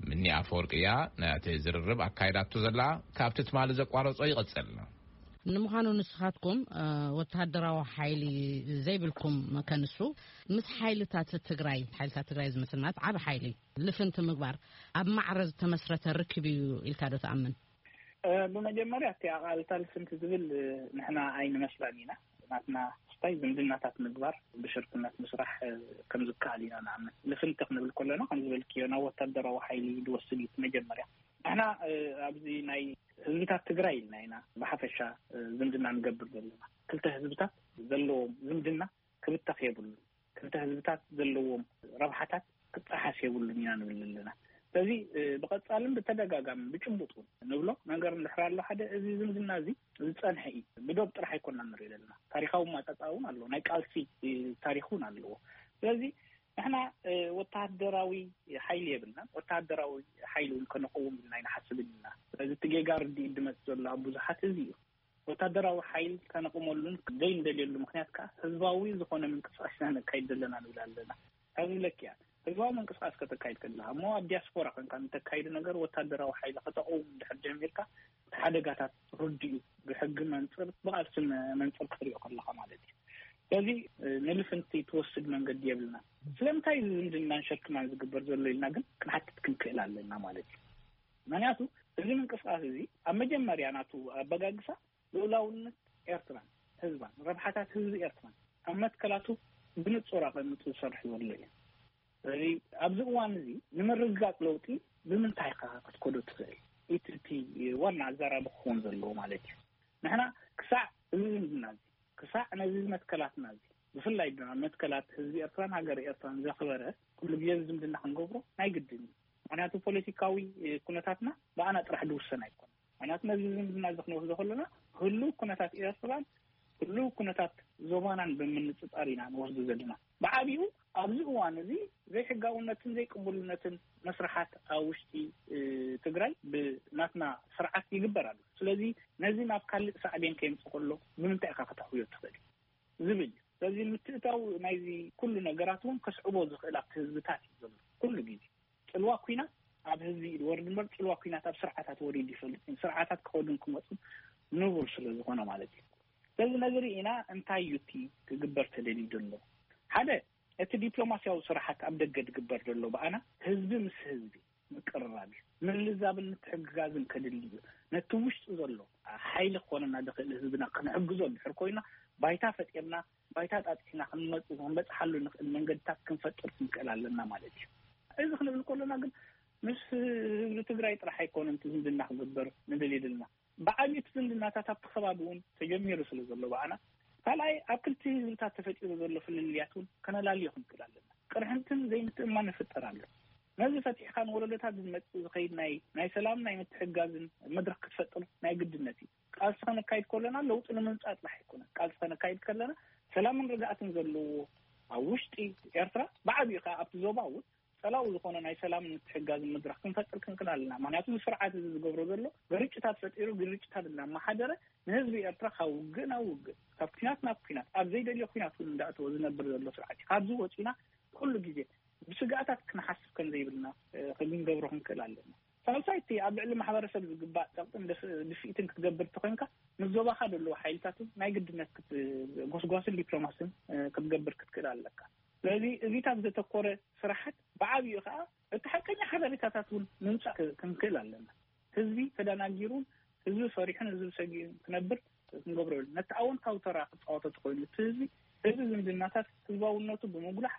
ምኒ ኣፈወርቂ እያ ነቲ ዝርርብ ኣካይዳቶ ዘላ። ካብቲ ትማሊ ዘቋረጾ ይቐጽል። ንምዃኑ ንስኻትኩም፣ እ፣ ወተሃደራዊ ሓይሊ ዘይብልኩም ከንሱ፣ ምስ ሓይልታት ትግራይ፣ ሓይልታት ትግራይ ዝመስል ማለት ዓቢ ሓይሊ ልፍንቲ ምግባር ኣብ ማዕረ ዝተመስረተ ርክብ እዩ ኢልካ ዶ ትኣምን? እ፣ ብመጀመርያ እቲ ኣቓልታ ልፍንቲ ዝብል፣ እ፣ ንሕና ኣይንመስላን ኢና። ናትና ስታይ ዝምድናታት ምግባር፣ ብሽርክነት ምስራሕ፣ እ፣ ከም ዝከኣል ኢና ንኣምን። ልፍንቲ ክንብል ከለና ከም ዝበልክዮ ናብ ወታደራዊ ሓይሊ ዝወስድ እዩ እቲ መጀመርያ። ንሕና፣ እ፣ ኣብዚ ናይ ህዝብታት ትግራይ ኢልና ኢና ብሓፈሻ፣ እ፣ ዝምድና ንገብር ዘለና። ክልተ ህዝብታት ዘለዎም ዝምድና ክብተኽ የብሉን። ክልተ ህዝብታት ዘለዎም ረብሓታት ክጠሓስ የብሉን ኢና ንብል ኣለና። ስለዚ፣ እ፣ ብቐጻልን ብተደጋጋሚ ብጭቡጥ እውን ንብሎ ነገር እንድሕር ኣሎ፣ ሓደ እዚ ዝምድና እዚ ዝጸንሐ እዩ። ብዶብ ጥራሕ ኣይኮና ንርኢ ዘለና። ታሪኻዊ ማጻጻ እውን ኣለዎ። ናይ ቃልሲ፣ እ፣ ታሪኽ እውን ኣለዎ። ስለዚ ንሕና፣ እ፣ ወተሃደራዊ ሓይሊ የብልናን። ወተሃደራዊ ሓይሊ እውን ከነቐውም ኢልና ኣይንሓስብን ኢና። ስለዚ እቲ ጌጋ ርድኢት ዝመጽእ ዘሎ ኣብ ብዙሓት እዚ እዩ። ወታደራዊ ሓይል ከነቕመሉን ዘይንደልየሉ ምኽንያት ከኣ ህዝባዊ ዝኾነ ምንቅስቃስ ኢና ነካይድ ዘለና ንብል ኣለና። ካብ ዝብለኪ እያ፣ ህዝባዊ ምንቅስቃስ ከተካይድ ከለኻ እሞ ኣብ ዲያስፖራ ኮንካ ንተካይዱ ነገር ወታደራዊ ሓይሊ ከተቕውም እንድሕር ጀሚርካ፣ እቲ ሓደጋታት ርዱእ እዩ። ብሕጊ መንፅር፣ ብቃልሲ መ-፣ መንፅር ክትሪኦ ከለኻ ማለት እዩ። ስለዚ፣ እ፣ ንልፍንቲ ትወስድ መንገዲ የብልና። ስለምንታይ እዚ ዝምድናን ሸርክናን ዝግበር ዘሎ ኢልና ግን ክንሓትት ክንክእል ኣለና ማለት እዩ። ምክንያቱ እዚ ምንቅስቃስ እዚ ኣብ መጀመርያ ናቱ ኣበጋግሳ ልኡላውነት ኤርትራን ህዝባን፣ ረብሓታት ህዝቢ ኤርትራን ኣብ መትከላቱ ብንጹር ኣቐሚጡ ዝሰርሕ ዘሎ እዩ። ስለዚ ኣብዚ እዋን እዚ ንምርግጋጽ ለውጢ ብምንታይ ኢኻ ክትከዶ ትኽእል? እቲ፣ እቲ ዋና ኣዛራቢ ክኸውን ዘለዎ ማለት እዩ። ንሕና ክሳዕ እዚ ዝምድና እዚ፣ ክሳዕ ነዚ መትከላትና እዚ፣ ብፍላይ ድማ መትከላት ህዝቢ ኤርትራን ሃገር ኤርትራን ዘኽበረ ኩሉ ግዜ ዝምድና ክንገብሮ ናይ ግድን እዩ። ምክንያቱ ፖለቲካዊ፣ እ፣ ኩነታትና ብኣና ጥራሕ ዝውሰን ኣይኮነን። ምክንያቱ ነዚ ዝምድና እዚ ክንወስዶ ከለና ህሉው ኩነታት ኤርትራን ህሉው ኩነታት ዞባናን ብምንጽጻር ኢና ንወስዶ ዘለና። ብዓቢኡ ኣብዚ እዋን እዚ ዘይሕጋውነትን ዘይቅቡልነትን መስርሓት ኣብ ውሽጢ፣ እ፣ ትግራይ ብናትና ስርዓት ይግበር ኣሎ። ስለዚ ነዚ ናብ ካልእ ሳዕቤን ከየምጽእ ከሎ ብምንታይ ኢኻ ከተሕውዮ ትኽእል ዝብል እዩ። ስለዚ ምትእታው ናይዚ ኩሉ ነገራት እውን ከስዕቦ ዝኽእል ኣብቲ ህዝብታት እዩ ዘሎ። ኩሉ ግዜ ጽልዋ ኲናት ኣብ ህዝቢ እዩ ዝወርድ እምበር፣ ጽልዋ ኲናት ኣብ ስርዓታት ወሪዱ ይፈልጥ እዩ። ስርዓታት ክኸዱን ክመጹን ንቡር ስለ ዝኾነ ማለት እዩ። ስለዚ ነዚ ርኢና እንታይ እዩ እቲ ክግበር ተደልዩ ዘሎ? ሓደ፣ እቲ ዲፕሎማስያዊ ስራሓት ኣብ ደገ ዝግበር ዘሎ ብኣና ህዝቢ ምስ ህዝቢ ምቅርራብ እዩ። ምልዛብን ምትሕግጋዝን ከድሊ እዩ። ነቲ ውሽጢ ዘሎ ሓይሊ ክኾነና ዝኽእል ህዝብና ክንሕግዞ እንድሕር ኮይና፣ ባይታ ፈጢርና፣ ባይታ ጣጢሕና ክንመጽ-፣ ክንበጽሓሉ ንኽእል መንገድታት ክንፈጥር ክንክእል ኣለና ማለት እዩ። እዚ ክንብል ከለና ግን ምስ ህዝቢ ትግራይ ጥራሕ ኣይኮነን እቲ ዝምድና ክግበር ንደልዩ ዘለና። ብዓብዩ እቲ ዝምድናታት ኣብቲ ከባቢ እውን ተጀሚሩ ስለ ዘሎ ብኣና፣ ካልኣይ ኣብ ክልቲ ህዝብታት ተፈጢሩ ዘሎ ፍልልያት እውን ከነላልዮ ክንክእል ኣለና። ቅርሕንትን ዘይምትእምማን ይፍጠር ኣሎ። ነዚ ፈቲሕካ ንወለዶታት ዝመጽእ ዝኸይድ ናይ፣ ናይ ሰላም ናይ ምትሕግጋዝን መድረኽ ክትፈጥር ናይ ግድነት እዩ። ቃልሲ ከነካይድ ከለና ለውጢ ንምምጻእ ጥራሕ ኣይኮነን። ቃልሲ ከነካይድ ከለና ሰላምን ርግኣትን ዘለዎ ኣብ ውሽጢ ኤርትራ፣ ብዓብዩ ከኣ ኣብቲ ዞባ እውን ጸላኡ ዝኾነ ናይ ሰላምን ምትሕግጋዝን መድረኽ ክንፈጥር ክንክእል ኣለና። ምክንያቱ እዚ ስርዓት እዚ ዝገብሮ ዘሎ ግርጭታት ፈጢሩ፣ ግርጭታት እናመሓደረ ንህዝቢ ኤርትራ ካብ ውግእ ናብ ውግእ፣ ካብ ኲናት ናብ ኲናት፣ ኣብ ዘይደልዮ ኲናት እውን እንዳእተወ ዝነብር ዘሎ ስርዓት እዩ። ካብዚ ወጺና ኩሉ ግዜ ብስግኣታት ክንሓስብ ከም ዘይብልና፣ እ፣ ክንገብሮ ክንክእል ኣለና። ሳልሳይ፣ እቲ ኣብ ልዕሊ ማሕበረሰብ ዝግባእ ጸቕጥን ድፍ-፣ ድፍኢትን ክትገብር እንተኾይንካ፣ ምስ ዞባኻ ዘለዉ ሓይልታት እውን ናይ ግድነት ክት-፣ ጎስጓስን ዲፕሎማስን፣ እ፣ ክትገብር ክትክእል ኣለካ። ስለዚ እዚታት ዘተኮረ ስራሓት ብዓብዩ ከኣ እቲ ሓቀኛ ሓበሬታታት እውን ምምጻእ ክ-፣ ክንክእል ኣለና። ህዝቢ ተደናጊሩን ህዝቢ ፈሪሑን ህዝቢ ሰጊኡን ክነብር ክንገብሮ የብልና። ነቲ ኣወንታዊ ተራ ክጻወቶ ተኾይኑ እቲ ህዝቢ፣ እዚ ዝምድናታት ህዝባውነቱ ብምጉላሕ፣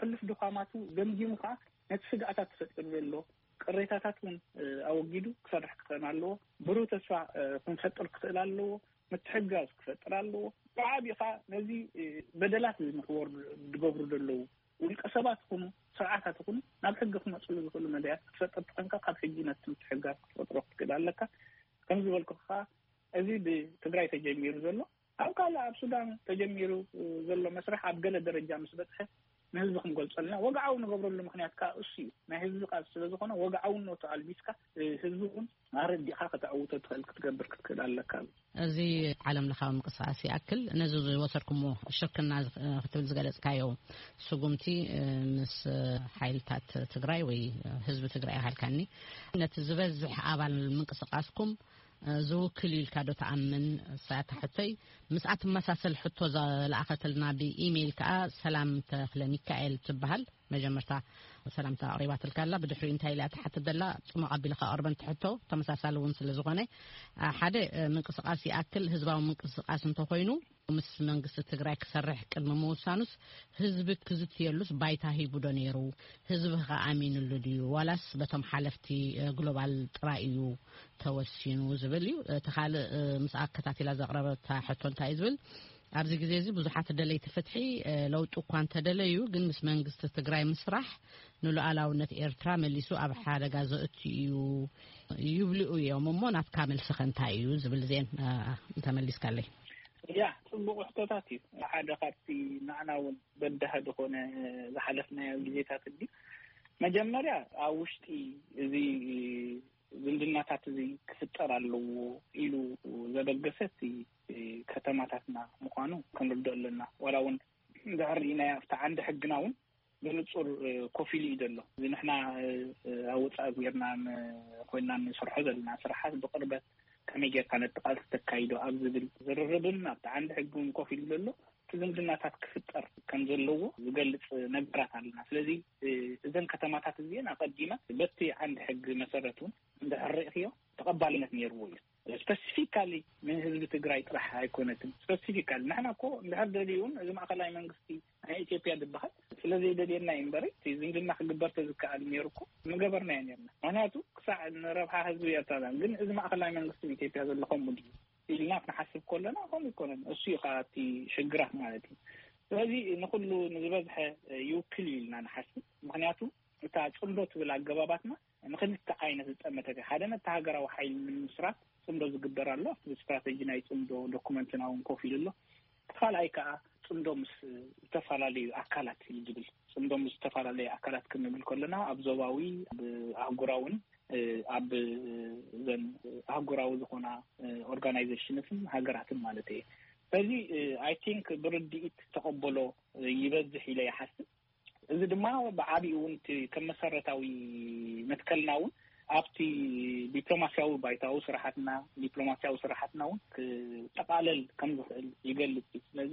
ሕሉፍ ድኻማቱ ገምጊሙ ከኣ ነቲ ስግኣታት ተፈጢሩ ዘሎ ቅሬታታት እውን ኣወጊዱ ክሰርሕ ክኽእል ኣለዎ። ብሩህ ተስፋ ክንፈጥር ክኽእል ኣለዎ። ምትሕጋዝ ክፈጥር ኣለዎ። ብዓቢኻ ነዚ በደላት ንክወርዱ ዝገብሩ ዘለዉ ውልቀ ሰባት ይኹኑ ስርዓታት ይኹኑ ናብ ሕጊ ክመፅሉ ዝኽእሉ መዳያት ክትፈጥር ተኾንካ ካብ ሕጂ ነቲ ምትሕጋዝ ክትፈጥሮ ክትክእል ኣለካ። ከም ዝበልኩ ከዓ እዚ ብትግራይ ተጀሚሩ ዘሎ ኣብ ካልእ ኣብ ሱዳን ተጀሚሩ ዘሎ መስርሕ ኣብ ገለ ደረጃ ምስ በፅሐ ንህዝቢ ክንገልፀልና ወግዓዊ ንገብረሉ ምክንያት ከዓ እሱ እዩ። ናይ ህዝቢ ቃልሲ ስለዝኾነ ወግዓውነቱ ኣልቢስካ ህዝቢ እውን ኣረዲኻ ከተዕውቶ ትኽእል ክትገብር ክትክእል ኣለካ። እዚ ዓለም ለኻዊ ምንቅስቃስ ይኣክል ነዚ ዝወሰድኩሞ ሽርክና ክትብል ዝገለፅካዮ ስጉምቲ ምስ ሓይልታት ትግራይ ወይ ህዝቢ ትግራይ ኣሃልካኒ ነቲ ዝበዝሕ ኣባል ምንቅስቃስኩም ዝውክል ኢልካ ዶ ተኣምን? ሳታ ሕቶይ ምስኣ ትመሳሰል ሕቶ ዝለኣኸትልና ብኢሜይል ከዓ ሰላም ተኽለ ሚካኤል ትበሃል። መጀመርታ ሰላምታ ኣቕሪባትልካ ኣላ። ብድሕሪኡ እንታይ ኢላ ትሓትት ዘላ ጽሙቕ ኣቢልካ ኣቕርበን ትሕቶ ተመሳሳሊ እውን ስለ ዝኾነ ሓደ ምንቅስቃስ ይኣክል ህዝባዊ ምንቅስቃስ እንተኾይኑ ምስ መንግስቲ ትግራይ ክሰርሕ ቅድሚ ምውሳኑስ ህዝቢ ክዝትየሉስ ባይታ ሂቡ ዶ ነይሩ? ህዝቢ ከ ኣሚንሉ ድዩ ዋላስ በቶም ሓለፍቲ ግሎባል ጥራይ እዩ ተወሲኑ ዝብል እዩ። እቲ ካልእ ምስ ኣከታቲላ ዘቕረበታ ሕቶ እንታይ እዩ ዝብል ኣብዚ ግዜ እዚ ብዙሓት ደለይቲ ፍትሒ ለውጢ እኳ እንተደለዩ ግን ምስ መንግስቲ ትግራይ ምስራሕ ንሉዓላውነት ኤርትራ መሊሱ ኣብ ሓደጋ ዘእቱ እዩ ይብልኡ እዮም እሞ ናትካ መልስኸ እንታይ እዩ ዝብል ዜን እንተመሊስካለይ። ያ ጽቡቕ ሕቶታት እዩ። ሓደ ካብቲ ንዓና እውን በዳህ ዝኾነ ዝሓለፍናዮ ግዜታት እንዲ መጀመርያ ኣብ ውሽጢ እዚ ዝምድናታት እዚ ክፍጠር ኣለዎ ኢሉ ዘበገሰ እቲ ከተማታትና ምዃኑ ክንርድኦ ኣለና። ዋላ እውን እንድሕር ርኢናዮ ኣብቲ ዓንዲ ሕግና እውን ብንጹር ኮፍ ኢሉ እዩ ዘሎ። እዚ ንሕና ኣብ ወጻኢ ጌርና ኮይና ንሰርሖ ዘለና ስራሓት ብቕርበት ከመይ ጌርካ ነቲ ቃልሲ ተካይዶ ኣብ ዝብል ዝርርብን ኣብቲ ዓንዲ ሕግን ኮፍ ኢሉ ዘሎ እቲ ዝምድናታት ክፍጠር ከም ዘለዎ ዝገልጽ ነገራት ኣለና። ስለዚ እዘን ከተማታት እዚአን ኣቐዲመ በቲ ዓንዲ ሕጊ መሰረት እውን እንድሕር ርኢኽዮ ተቐባልነት ነይርዎ እዩ። ስፐሲፊካሊ ንህዝቢ ትግራይ ጥራሕ ኣይኮነትን። ስፐሲፊካሊ ንሕና እኮ እንድሕር ደልዩን እዚ ማእኸላይ መንግስቲ ናይ ኢትዮጵያ ዝበሃል ስለ ዘይደልየና እዩ እምበሪ እቲ ዝምድና ክግበር ተዝከኣል ነይሩ እኮ ምገበርናዮ ነርና። ምክንያቱ ክሳዕ ንረብሓ ህዝቢ ኤርትራ ግን እዚ ማእኸላይ መንግስቲ ኢትዮጵያ ዘሎ ከምኡ ድዩ ኢልና ክንሓስብ ከለና ከምኡ ይኮነን። እሱ እዩ ከዓ እቲ ሽግራት ማለት እዩ። ስለዚ ንኩሉ ንዝበዝሐ ይውክል እዩ ኢልና ንሓስብ። ምክንያቱ እታ ፅምዶ ትብል ኣገባባትና ንክልተ ዓይነት ዝጠመተት እያ። ሓደ ነቲ ሃገራዊ ሓይሊ ንምስራት ፅምዶ ዝግበር ኣሎ። ኣብቲ ስትራተጂ ናይ ፅምዶ ዶኩመንትና እውን ኮፍ ኢሉ ኣሎ። እቲ ካልኣይ ከዓ ፅምዶ ምስ ዝተፈላለዩ ኣካላት እዩ ዝብል። ፅምዶ ምስ ዝተፈላለዩ ኣካላት ክንብል ከለና ኣብ ዞባዊ፣ ኣብ ኣህጉራውን ኣብ ዘን ኣህጉራዊ ዝኾና ኦርጋናይዜሽንስን ሃገራትን ማለት እየ። ስለዚ ኣይ ቲንክ ብርድኢት ተቐበሎ ይበዝሕ ኢለ ይሓስብ። እዚ ድማ ብዓቢኡ እውን እቲ ከም መሰረታዊ መትከልና እውን ኣብቲ ዲፕሎማሲያዊ ባይታዊ ስራሓትና ዲፕሎማሲያዊ ስራሓትና እውን ክጠቃለል ከም ዝኽእል ይገልጽ እዩ። ስለዚ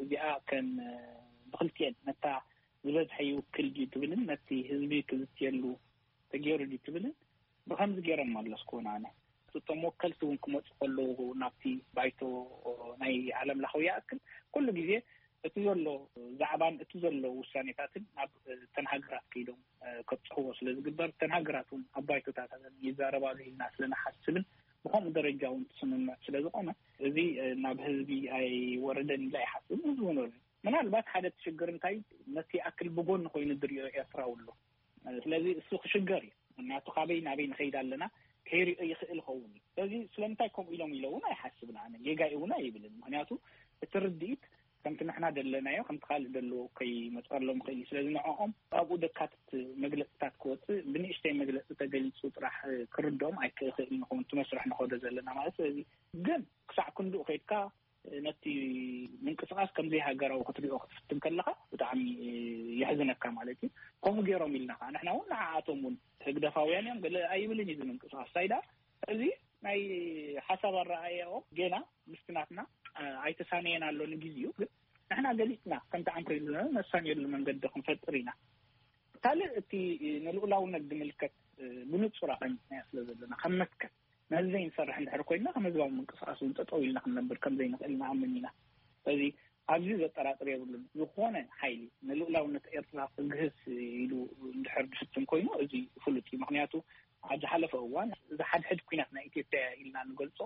እዚኣ ከም ብክልቲኤን ነታ ዝበዝሐ ይውክል ድዩ ትብልን ነቲ ህዝቢ ክዝትየሉ ተገይሩ ድዩ ትብልን ብከምዚ ገይሮም ኣለስኩ ኣነ እቶም ወከልቲ እውን ክመፁ ከለዉ ናብቲ ባይቶ ናይ ዓለም ለኻዊ ይኣክል ኩሉ ግዜ እቲ ዘሎ ዛዕባን እቲ ዘሎ ውሳኔታትን ናብ ተን ሃገራት ከይዶም ከብፅሕዎ ስለ ዝግበር ተን ሃገራት እውን ኣብ ባይቶታት ይዛረባሉ ኢልና ስለ ንሓስብን ብከምኡ ደረጃ እውን ትስምምዕ ስለ ዝኾነ እዚ ናብ ህዝቢ ኣይወረደን ኢላ ይሓስብ ህዝቢ እውን ምናልባት ሓደ እቲ ሽግር እንታይ ነቲ ይኣክል ብጎኒ ኮይኑ ዝሪኦ ኤርትራዊ ኣሎ። ስለዚ እሱ ክሽገር እዩ። ምክንያቱ ካበይ ናበይ ንኸይድ ኣለና ከይሪኦ ይኽእል ኸውን እዩ። ስለዚ ስለምንታይ ከምኡ ኢሎም ኢለ እውን ኣይሓስብን ኣነ ጌጋ እውን ኣይብልን። ምክንያቱ እቲ ርድኢት ከምቲ ንሕና ደለናዮ ከምቲ ካልእ ደለዎ ከይመፀሎም ይኽእል እዩ። ስለዚ ንዕኦም ኣብኡ ደካትት መግለፅታት ክወፅእ ብንእሽተይ መግለፂ ተገሊፁ ጥራሕ ክርድኦም ኣይክእኽእል ንኸውን እቲ መስርሕ ንኸዶ ዘለና ማለት ስለዚ ግን ክሳዕ ክንድኡ ከይድካ ነቲ ምንቅስቃስ ከምዘይ ሃገራዊ ክትሪኦ ክትፍትን ከለካ ብጣዕሚ የሕዝነካ ማለት እዩ። ከምኡ ገይሮም ኢልና ከዓ ንሕና እውን ንዓኣቶም እውን ህግደፋውያን እዮም ገለ ኣይብልን እዩ ምንቅስቃስ ሳይዳ እዚ ናይ ሓሳብ ኣረኣያኦም ገና ምስቲ ናትና ኣይተሳነየን ኣሎ ንግዜኡ ግን ንሕና ገሊፅና ከምቲ ዓንኮ ኢሉ ነሳንየሉ መንገዲ ክንፈጥር ኢና። ካልእ እቲ ንልኡላውነት ዝምልከት ብንፁር ኣቐሚጥናዮ ስለ ዘለና ከም መትከል ነዚ ዘይንሰርሕ እንድሕር ኮይና ከም ህዝባዊ ምንቅስቃስ እውን ጠጠው ኢልና ክንነብር ከም ዘይንኽእል ንኣምን ኢና። ስለዚ ኣብዚ ዘጠራጥር የብሉን። ዝኾነ ሓይሊ ንልኡላውነት ኤርትራ ክግህስ ኢሉ እንድሕር ዝፍትን ኮይኑ፣ እዚ ፍሉጥ እዩ። ምኽንያቱ ኣብ ዝሓለፈ እዋን ዝሓድሕድ ኲናት ናይ ኢትዮጵያ ኢልና ንገልጾ፣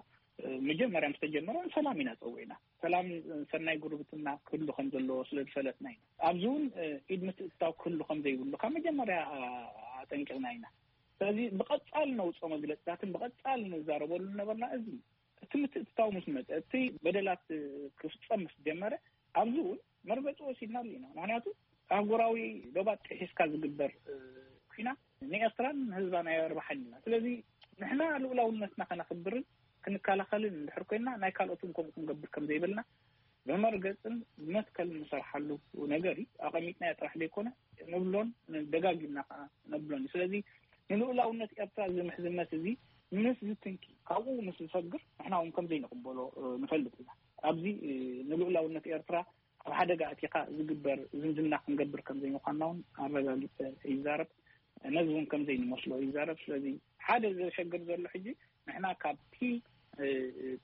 መጀመርያ ምስ ተጀመረ ሰላም ኢና ጸዊዕና። ሰላም፣ ሰናይ ጉርብትና ክህሉ ከም ዘለዎ ስለ ዝፈለጥና ኢና። ኣብዚ እውን ኢድ ምትእትታው ክህሉ ከም ዘይብሉ ካብ መጀመርያ ኣጠንቂቕና ኢና። ስለዚ ብቐጻል ነውጾ መግለጽታትን ብቐጻል ንዛረበሉ ነበርና። እዚ እቲ ምትእትታው ምስ መጸ፣ እቲ በደላት ክፍጸም ምስ ጀመረ፣ ኣብዚ እውን መርገጺ ወሲድናሉ ኢና። ምኽንያቱ ኣህጉራዊ ዶባት ጥሒስካ ዝግበር ኲናት ንኤርትራን ንህዝባን ኣየርባሓን ኢና። ስለዚ ንሕና ልኡላውነትና ከነኽብርን ክንከላኸልን እንድሕር ኮይንና፣ ናይ ካልኦት እውን ከምኡ ክንገብር ከም ዘይብልና ብመርገጽን ብመትከልን ንሰርሓሉ ነገር እዩ። ኣቐሚጥናዮ ጥራሕ ዘይኮነ፣ ንብሎን ደጋጊምና ከዓ ነብሎን እዩ። ስለዚ ንልኡላውነት ኤርትራ እዚ ምሕዝነት እዚ ምስ ዝትንኪ፣ ካብኡ ምስ ዝፈግር፣ ንሕና እውን ከም ዘይንቕበሎ ንፈልጥ ኢና። ኣብዚ ንልኡላውነት ኤርትራ ኣብ ሓደጋ ኣቲኻ ዝግበር ዝምድና ክንገብር ከም ዘይምዃንና እውን ኣረጋጊጸ ይዛረብ። ነዚ እውን ከም ዘይንመስሎ ይዛረብ። ስለዚ ሓደ ዘሸግር ዘሎ ሕጂ፣ ንሕና ካብቲ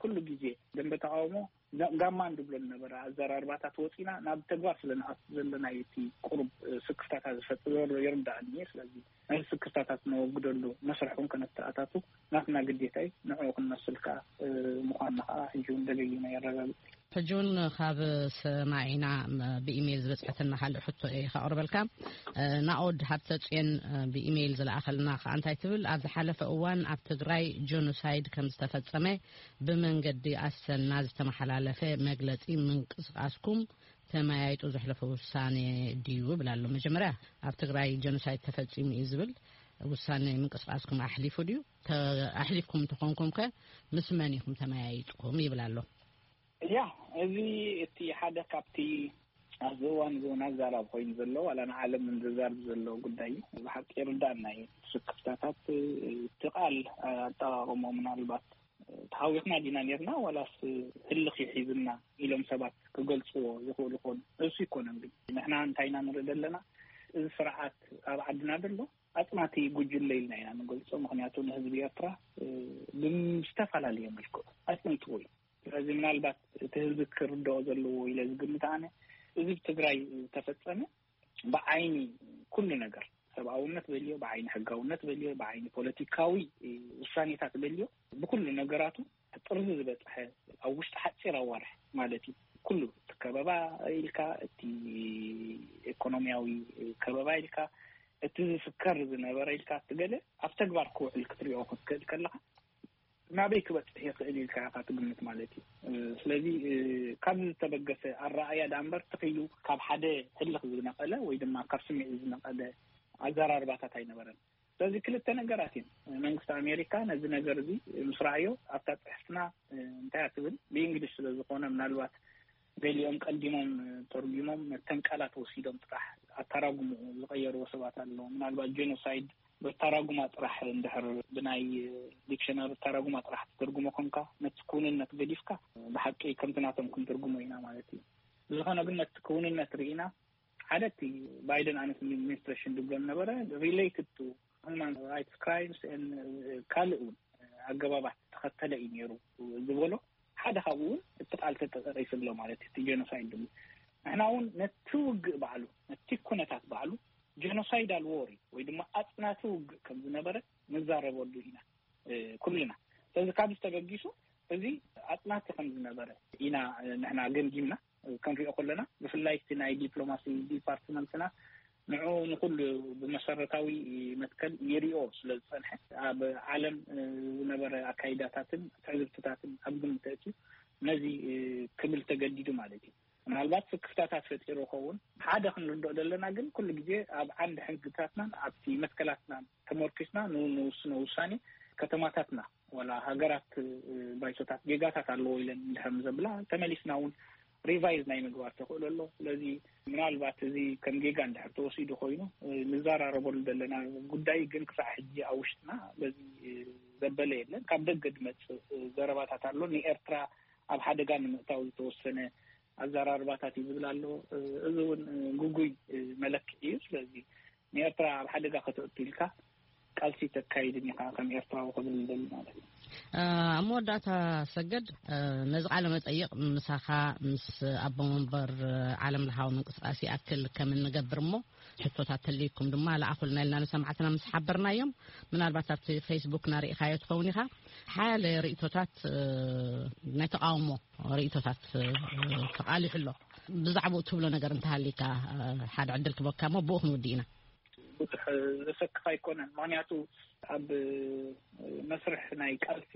ኩሉ ግዜ ደንበ ተቃውሞ ጋማ እንድብሎ ዝነበረ ኣዘራርባታት ወፂና ናብ ተግባር ስለ ንኣቱ ዘለና፣ እቲ ቁሩብ ስክፍታታት ዝፈጥር ዘሎ ይርዳእኒ እየ። ስለዚ ነዚ ስክፍታታት ነወግደሉ መስርሕ እውን ከነተኣታቱ ናትና ግዴታ እዩ። ንዕኡ ክንመስል ከዓ ምዃንና ከዓ ሕጂ እውን ደገጊመ የረጋግጽ። ሕጂ እውን ካብ ሰማዒና ብኢሜይል ዝበፅሐትና ካልእ ሕቶ እየ ከቕርበልካ። ናኦድ ሃብተ ፅዮን ብኢሜይል ዝለኣኸልና ከዓ እንታይ ትብል? ኣብ ዝሓለፈ እዋን ኣብ ትግራይ ጆኖሳይድ ከም ዝተፈጸመ ብመንገዲ ኣሰና ዝተመሓላለፈ መግለጺ ምንቅስቃስኩም ተመያይጡ ዘሕለፈ ውሳኔ ድዩ? ብላ ኣሎ። መጀመርያ ኣብ ትግራይ ጆኖሳይድ ተፈጺሙ እዩ ዝብል ውሳኔ ምንቅስቃስኩም ኣሕሊፉ ድዩ? ኣሕሊፍኩም እንተኾንኩም ከ ምስ መን ኢኹም ተመያይጥኩም? ይብል ኣሎ። ያ፣ እዚ እቲ ሓደ ካብቲ ኣብዚ እዋን እዚ እውን ኣዛራቢ ኮይኑ ዘሎ፣ ዋላ ንዓለም እውን ዘዛርብ ዘሎ ጉዳይ እዩ። ብሓቂ ይርዳእና እዩ። ስክፍታታት እቲ ቃል ኣጠቓቕሞ ምናልባት ተሃዊኽና ዲና ኔርና ዋላስ ህልኽ ይሒዝና ኢሎም ሰባት ክገልጽዎ ይኽእሉ ይኾኑ። እሱ ይኮነን ግን ንሕና እንታይ ኢና ንርኢ ዘለና? እዚ ስርዓት ኣብ ዓድና ዘሎ ኣጽናቲ ጉጅለ ኢልና ኢና ንገልጾ። ምኽንያቱ ንህዝቢ ኤርትራ ብዝተፈላለየ መልክዑ ኣጽንትዎ እዩ። ስለዚ ምናልባት እቲ ህዝቢ ክርድኦ ዘለዎ ኢለ ዝግምት ኣነ፣ እዚ ብትግራይ ዝተፈጸመ ብዓይኒ ኩሉ ነገር ሰብኣውነት በልዮ፣ ብዓይኒ ሕጋውነት በልዮ፣ ብዓይኒ ፖለቲካዊ ውሳኔታት በልዮ፣ ብኩሉ ነገራቱ ጥርዚ ዝበጽሐ ኣብ ውሽጢ ሓጺር ኣዋርሕ ማለት እዩ። ኩሉ እቲ ከበባ ኢልካ፣ እቲ ኢኮኖሚያዊ ከበባ ኢልካ፣ እቲ ዝፍከር ዝነበረ ኢልካ፣ እቲ ገለ ኣብ ተግባር ክውዕል ክትሪኦ ክትክእል ከለኻ ናበይ ክበጽሕ ይኽእል ኢልካ ኢኻ ትግምት ማለት እዩ። ስለዚ ካብ ዝተበገሰ ኣረኣያ ደኣ እምበር ትኽኢሉ ካብ ሓደ ህልኽ ዝነቐለ ወይ ድማ ካብ ስምዒት ዝነቐለ ኣዘራርባታት ኣይነበረን። ስለዚ ክልተ ነገራት እዮም። መንግስቲ ኣሜሪካ ነዚ ነገር እዚ ምስ ረኣዮ ኣብታ ጽሕፍትና እንታይ እያ ትብል ብእንግሊሽ ስለ ዝኾነ ምናልባት ገሊኦም ቀዲሞም ተርጉሞም ነተን ቃላት ወሲዶም ጥራሕ ኣተራጉምኡ ዝቐየርዎ ሰባት ኣለዉ። ምናልባት ጄኖሳይድ ብተራጉማ ጥራሕ እንድሕር ብናይ ዲክሽነሪ ተራጉማ ጥራሕ ትትርጉሞ ኮንካ ነቲ ክውንነት ገዲፍካ ብሓቂ ከምቲ ናቶም ክንትርጉሞ ኢና ማለት እዩ። ብዝኾነ ግን ነቲ ክውንነት ርኢና ሓደ እቲ ባይደን ኣድሚኒስትሬሽን ዝብሎ ነበረ related to human rights crimes ካልእ እውን ኣገባባት ተኸተለ እዩ ነይሩ ዝበሎ ሓደ ካብኡ እውን እቲ ቃል ተጠቂሱ ኣሎ ማለት እዩ። እቲ ጀኖሳይድ ድሉ ንሕና እውን ነቲ ውግእ ባዕሉ ነቲ ኩነታት ባዕሉ ጀኖሳይዳል ዎር ወይ ድማ ኣፅናቲ ውግእ ከም ዝነበረ ንዛረበሉ ኢና ኩልና። ስለዚ ካብዚ ተበጊሱ እዚ ኣፅናቲ ከም ዝነበረ ኢና ንሕና ገምጊምና ክንሪኦ ከለና ብፍላይ እቲ ናይ ዲፕሎማሲ ዲፓርትመንትና ንዑ ንኩሉ ብመሰረታዊ መትከል ይሪኦ ስለ ዝፀንሐ ኣብ ዓለም ዝነበረ ኣካይዳታትን ትዕዝብትታትን ኣብ ግምት ተእትዩ ነዚ ክብል ተገዲዱ ማለት እዩ። ምናልባት ስክፍታታት ፈጢሩ ይኸውን ሓደ ክንርድኦ ዘለና ግን ኩሉ ግዜ ኣብ ዓንዲ ሕግታትናን ኣብቲ መትከላትናን ተመርኪስና ንውስኖ ውሳኔ ከተማታትና ወላ ሃገራት ባይቶታት ጌጋታት ኣለዎ ኢለን እንድሕር ዘብላ ተመሊስና እውን ሪቫይዝ ናይ ምግባር ተኽእሎ ኣሎ። ስለዚ ምናልባት እዚ ከም ጌጋ እንድሕር ተወሲዱ ኮይኑ ንዘራረበሉ ዘለና ጉዳይ ግን ክሳዕ ሕጂ ኣብ ውሽጥና በዚ ዘበለ የለን። ካብ ደገ ዝመፅእ ዘረባታት ኣሎ። ንኤርትራ ኣብ ሓደጋ ንምእታው ዝተወሰነ ኣዘራርባታት እዩ ዝብል ኣሎ። እዚ እውን ግጉይ መለክዒ እዩ። ስለዚ ንኤርትራ ኣብ ሓደጋ ከተእቱ ኢልካ ቃልሲ ተካይድን ኢኻ ከም ኤርትራዊ ክብል ይደሊ ማለት እዩ። ኣብ መወዳእታ፣ ሰገድ፣ ነዚ ቃለ መጠይቕ ምሳኻ ምስ ኣቦ መንበር ዓለም ለኻዊ ምንቅስቃስ ይኣክል ከም እንገብር እሞ፣ ሕቶታት ተልይኩም ድማ ለኣኹልና ኢልና ንሰማዕትና ምስ ሓበርናዮም፣ ምናልባት ኣብቲ ፌስቡክ ናርኢኻዮ ትኸውን ኢኻ። ሓያለ ርእይቶታት፣ ናይ ተቃውሞ ርእይቶታት ተቃሊሑ ኣሎ። ብዛዕባኡ ትብሎ ነገር እንተሃሊካ፣ ሓደ ዕድል ክበካ እሞ ብኡ ክንውድእ ኢና። ብዙሕ ዘሰክፍ ኣይኮነን። ምኽንያቱ ኣብ መስርሕ ናይ ቃልሲ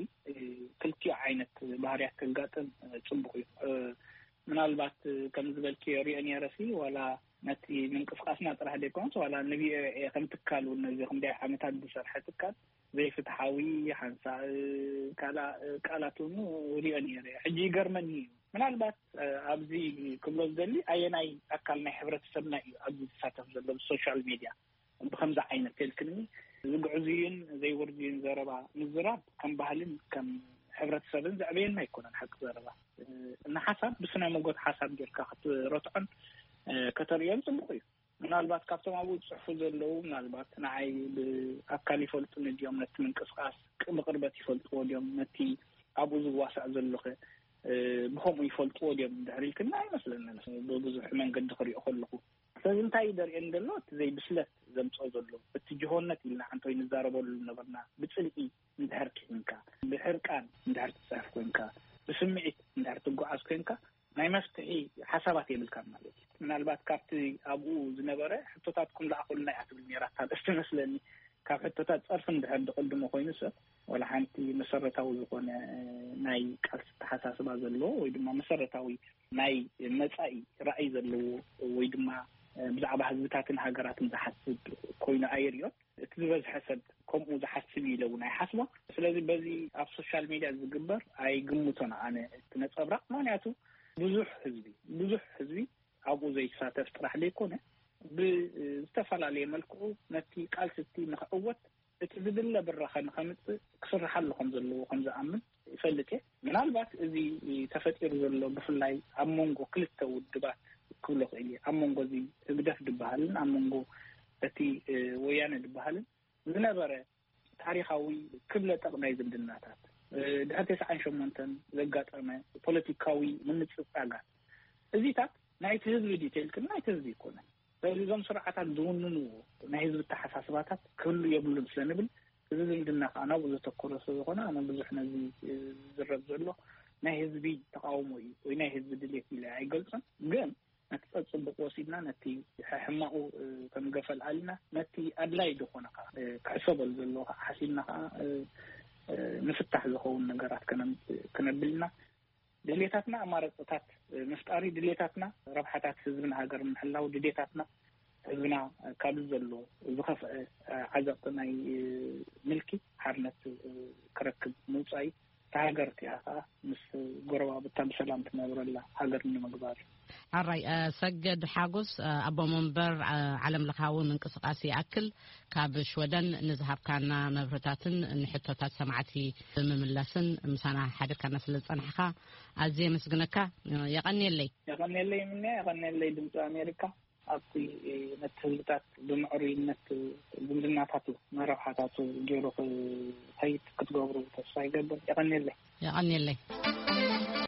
ክልቲኡ ዓይነት ባህርያት ከጋጥም ጽቡቕ እዩ። ምናልባት ከም ዝበልክዮ ሪኦ ነይረሲ፣ ዋላ ነቲ ምንቅስቃስና ጥራሕ ዘይኮነስ፣ ዋላ ንቪኦኤ ከም ትካል እውን፣ ነዚ ክንደይ ዓመታት ዝሰርሐ ትካል፣ ዘይፍትሓዊ ሓንሳእ ቃላ-፣ ቃላት እውን ሪኦ ነይረ። ሕጂ ይገርመኒ እዩ። ምናልባት ኣብዚ ክብሎ ዝደሊ፣ ኣየናይ ኣካል ናይ ሕብረተሰብና እዩ ኣብዚ ዝሳተፍ ዘሎ ብሶሻል ሜድያ ብከምዚ ዓይነት ተልክኒ ዝግዕዙይን ዘይወርድዩን ዘረባ ምዝራብ ከም ባህልን ከም ሕብረተሰብን ዘዕበየና ኣይኮነን። ሓቂ ዘረባ፣ ንሓሳብ ብስነ መጎት ሓሳብ ጌርካ ክትረትዖን ከተርእዮን ጽቡቕ እዩ። ምናልባት ካብቶም ኣብኡ ዝጽሕፉ ዘለዉ፣ ምናልባት ንዓይ ብኣካል ይፈልጡኒ ድዮም፣ ነቲ ምንቅስቃስ ብቅርበት ይፈልጥዎ ድዮም፣ ነቲ ኣብኡ ዝዋሳእ ዘለኹ ብከምኡ ይፈልጥዎ ድዮም እንድሕር ኢልክና፣ ኣይመስለንን። ብብዙሕ መንገዲ ክሪኦ ከለኹ፣ ስለዚ እንታይ እዩ ደርእየን ዘሎ? እቲ ዘይብስለት ዘምጽኦ ዘሎ፣ እቲ ጅሆነት ኢልና ሓንቶይ ንዛረበሉ ነበርና። ብጽልኢ እንድሕር ኪንካ፣ ብሕርቃን እንድሕር ትጽሕፍ ኮንካ፣ ብስምዒት እንድሕር ትጓዓዝ ኮንካ፣ ናይ መፍትሒ ሓሳባት የብልካን ማለት እዩ። ምናልባት ካብቲ ኣብኡ ዝነበረ ሕቶታትኩም ለኣኹልና እያ ትብል ነይራ እታ ኣርእስቲ መስለኒ። ካብ ሕቶታት ጸርፊ እንድሕር ዝቕድሞ ኮይኑ ሰብ፣ ወላ ሓንቲ መሰረታዊ ዝኾነ ናይ ቃልሲ ኣተሓሳስባ ዘለዎ ወይ ድማ መሰረታዊ ናይ መጻኢ ራእይ ዘለዎ ወይ ድማ ብዛዕባ ህዝብታትን ሃገራትን ዝሓስብ ኮይኑ ኣይርእዮን። እቲ ዝበዝሐ ሰብ ከምኡ ዝሓስብ እዩ ኢለ እውን ኣይሓስቦን። ስለዚ በዚ ኣብ ሶሻል ሜድያ ዝግበር ኣይግምቶን ኣነ እቲ ነጸብራቕ። ምኽንያቱ ብዙሕ ህዝቢ፣ ብዙሕ ህዝቢ ኣብኡ ዘይሳተፍ ጥራሕ ዘይኮነ፣ ብዝተፈላለየ መልክዑ ነቲ ቃልሲ እቲ ንኽዕወት፣ እቲ ዝድለ ብራኸ ንኸምጽእ ክስርሓሉ ከም ዘለዎ ከም ዝኣምን ይፈልጥ እየ። ምናልባት እዚ ተፈጢሩ ዘሎ፣ ብፍላይ ኣብ መንጎ ክልተ ውድባት ክብሎ ክእል እየ፣ ኣብ መንጎ እዚ ህግደፍ ዝበሃልን ኣብ መንጎ እቲ፣ እ፣ ወያነ ዝበሃልን ዝነበረ ታሪኻዊ ክብለ ጠቕ ናይ ዝምድናታት፣ እ፣ ድሕሪ ተስዓን ሸሞንተን ዘጋጠመ ፖለቲካዊ ምንጽጻጋት፣ እዚታት ናይቲ ህዝቢ ዲዩ ተልክን፣ ናይቲ ህዝቢ ኣይኮነን። ስለዚ እዞም ስርዓታት ዝውንንዎ ናይ ህዝቢ ኣተሓሳስባታት ክህሉ የብሉን ስለ ንብል፣ እዚ ዝምድና ከዓ ናብኡ ዘተኮረ ስለ ዝኾነ፣ ኣነ ብዙሕ ነዚ ዝዝረብ ዘሎ ናይ ህዝቢ ተቃውሞ እዩ ወይ ናይ ህዝቢ ድሌት ኢለ ኣይገልጾን። ግን ነቲ ጸጽቡቕ ወሲድና፣ ነቲ ሕማቑ ከም ገፈል ኣልና፣ ነቲ ኣድላይ ዝኾነ ከዓ ክሕሰበሉ ዘለዎ ከዓ ሓሲብና ከዓ ንፍታሕ ዝኸውን ነገራት ከነም-፣ ክነብል ኢና። ድሌታትና ኣማራፅታት ምፍጣር እዩ። ድሌታትና ረብሓታት ህዝብን ሃገርን ምሕላው፣ ድሌታትና ህዝብና ካብ ዘሎ ዝኸፍአ ዓዘቕቲ ናይ ምልኪ ሓርነት ክረክብ ምውፃእ እዩ። እታ ሃገር እቲኣ ከዓ ምስ ጎረባብታ ብሰላም ትነብረላ ሃገር ንምግባር እዩ። ኣራይ፣ እ፣ ሰገድ ሓጎስ፣ እ፣ ኣቦ መንበር፣ እ፣ ዓለም ለኻዊ ምንቅስቃስ ይኣክል፣ ካብ ሽወደን ንዝሃብካና መብርህታትን ንሕቶታት ሰማዕቲ ብምምላስን ምሳና ሓቢርካና ስለ ዝጸናሕካ ኣዝየ የመስግነካ። የቐንየለይ። የቐንየለይ ምንያ፣ የቐንየለይ ድምፂ ኣሜሪካ። ኣብቲ ነቲ ህዝብታት ብምዕሩይነት ዝምድናታቱ መረብሓታቱ ገይሩ ክኸይድ ክትገብሩ ተስፋ ይገብር። የቐንየለይ። የቐንየለይ።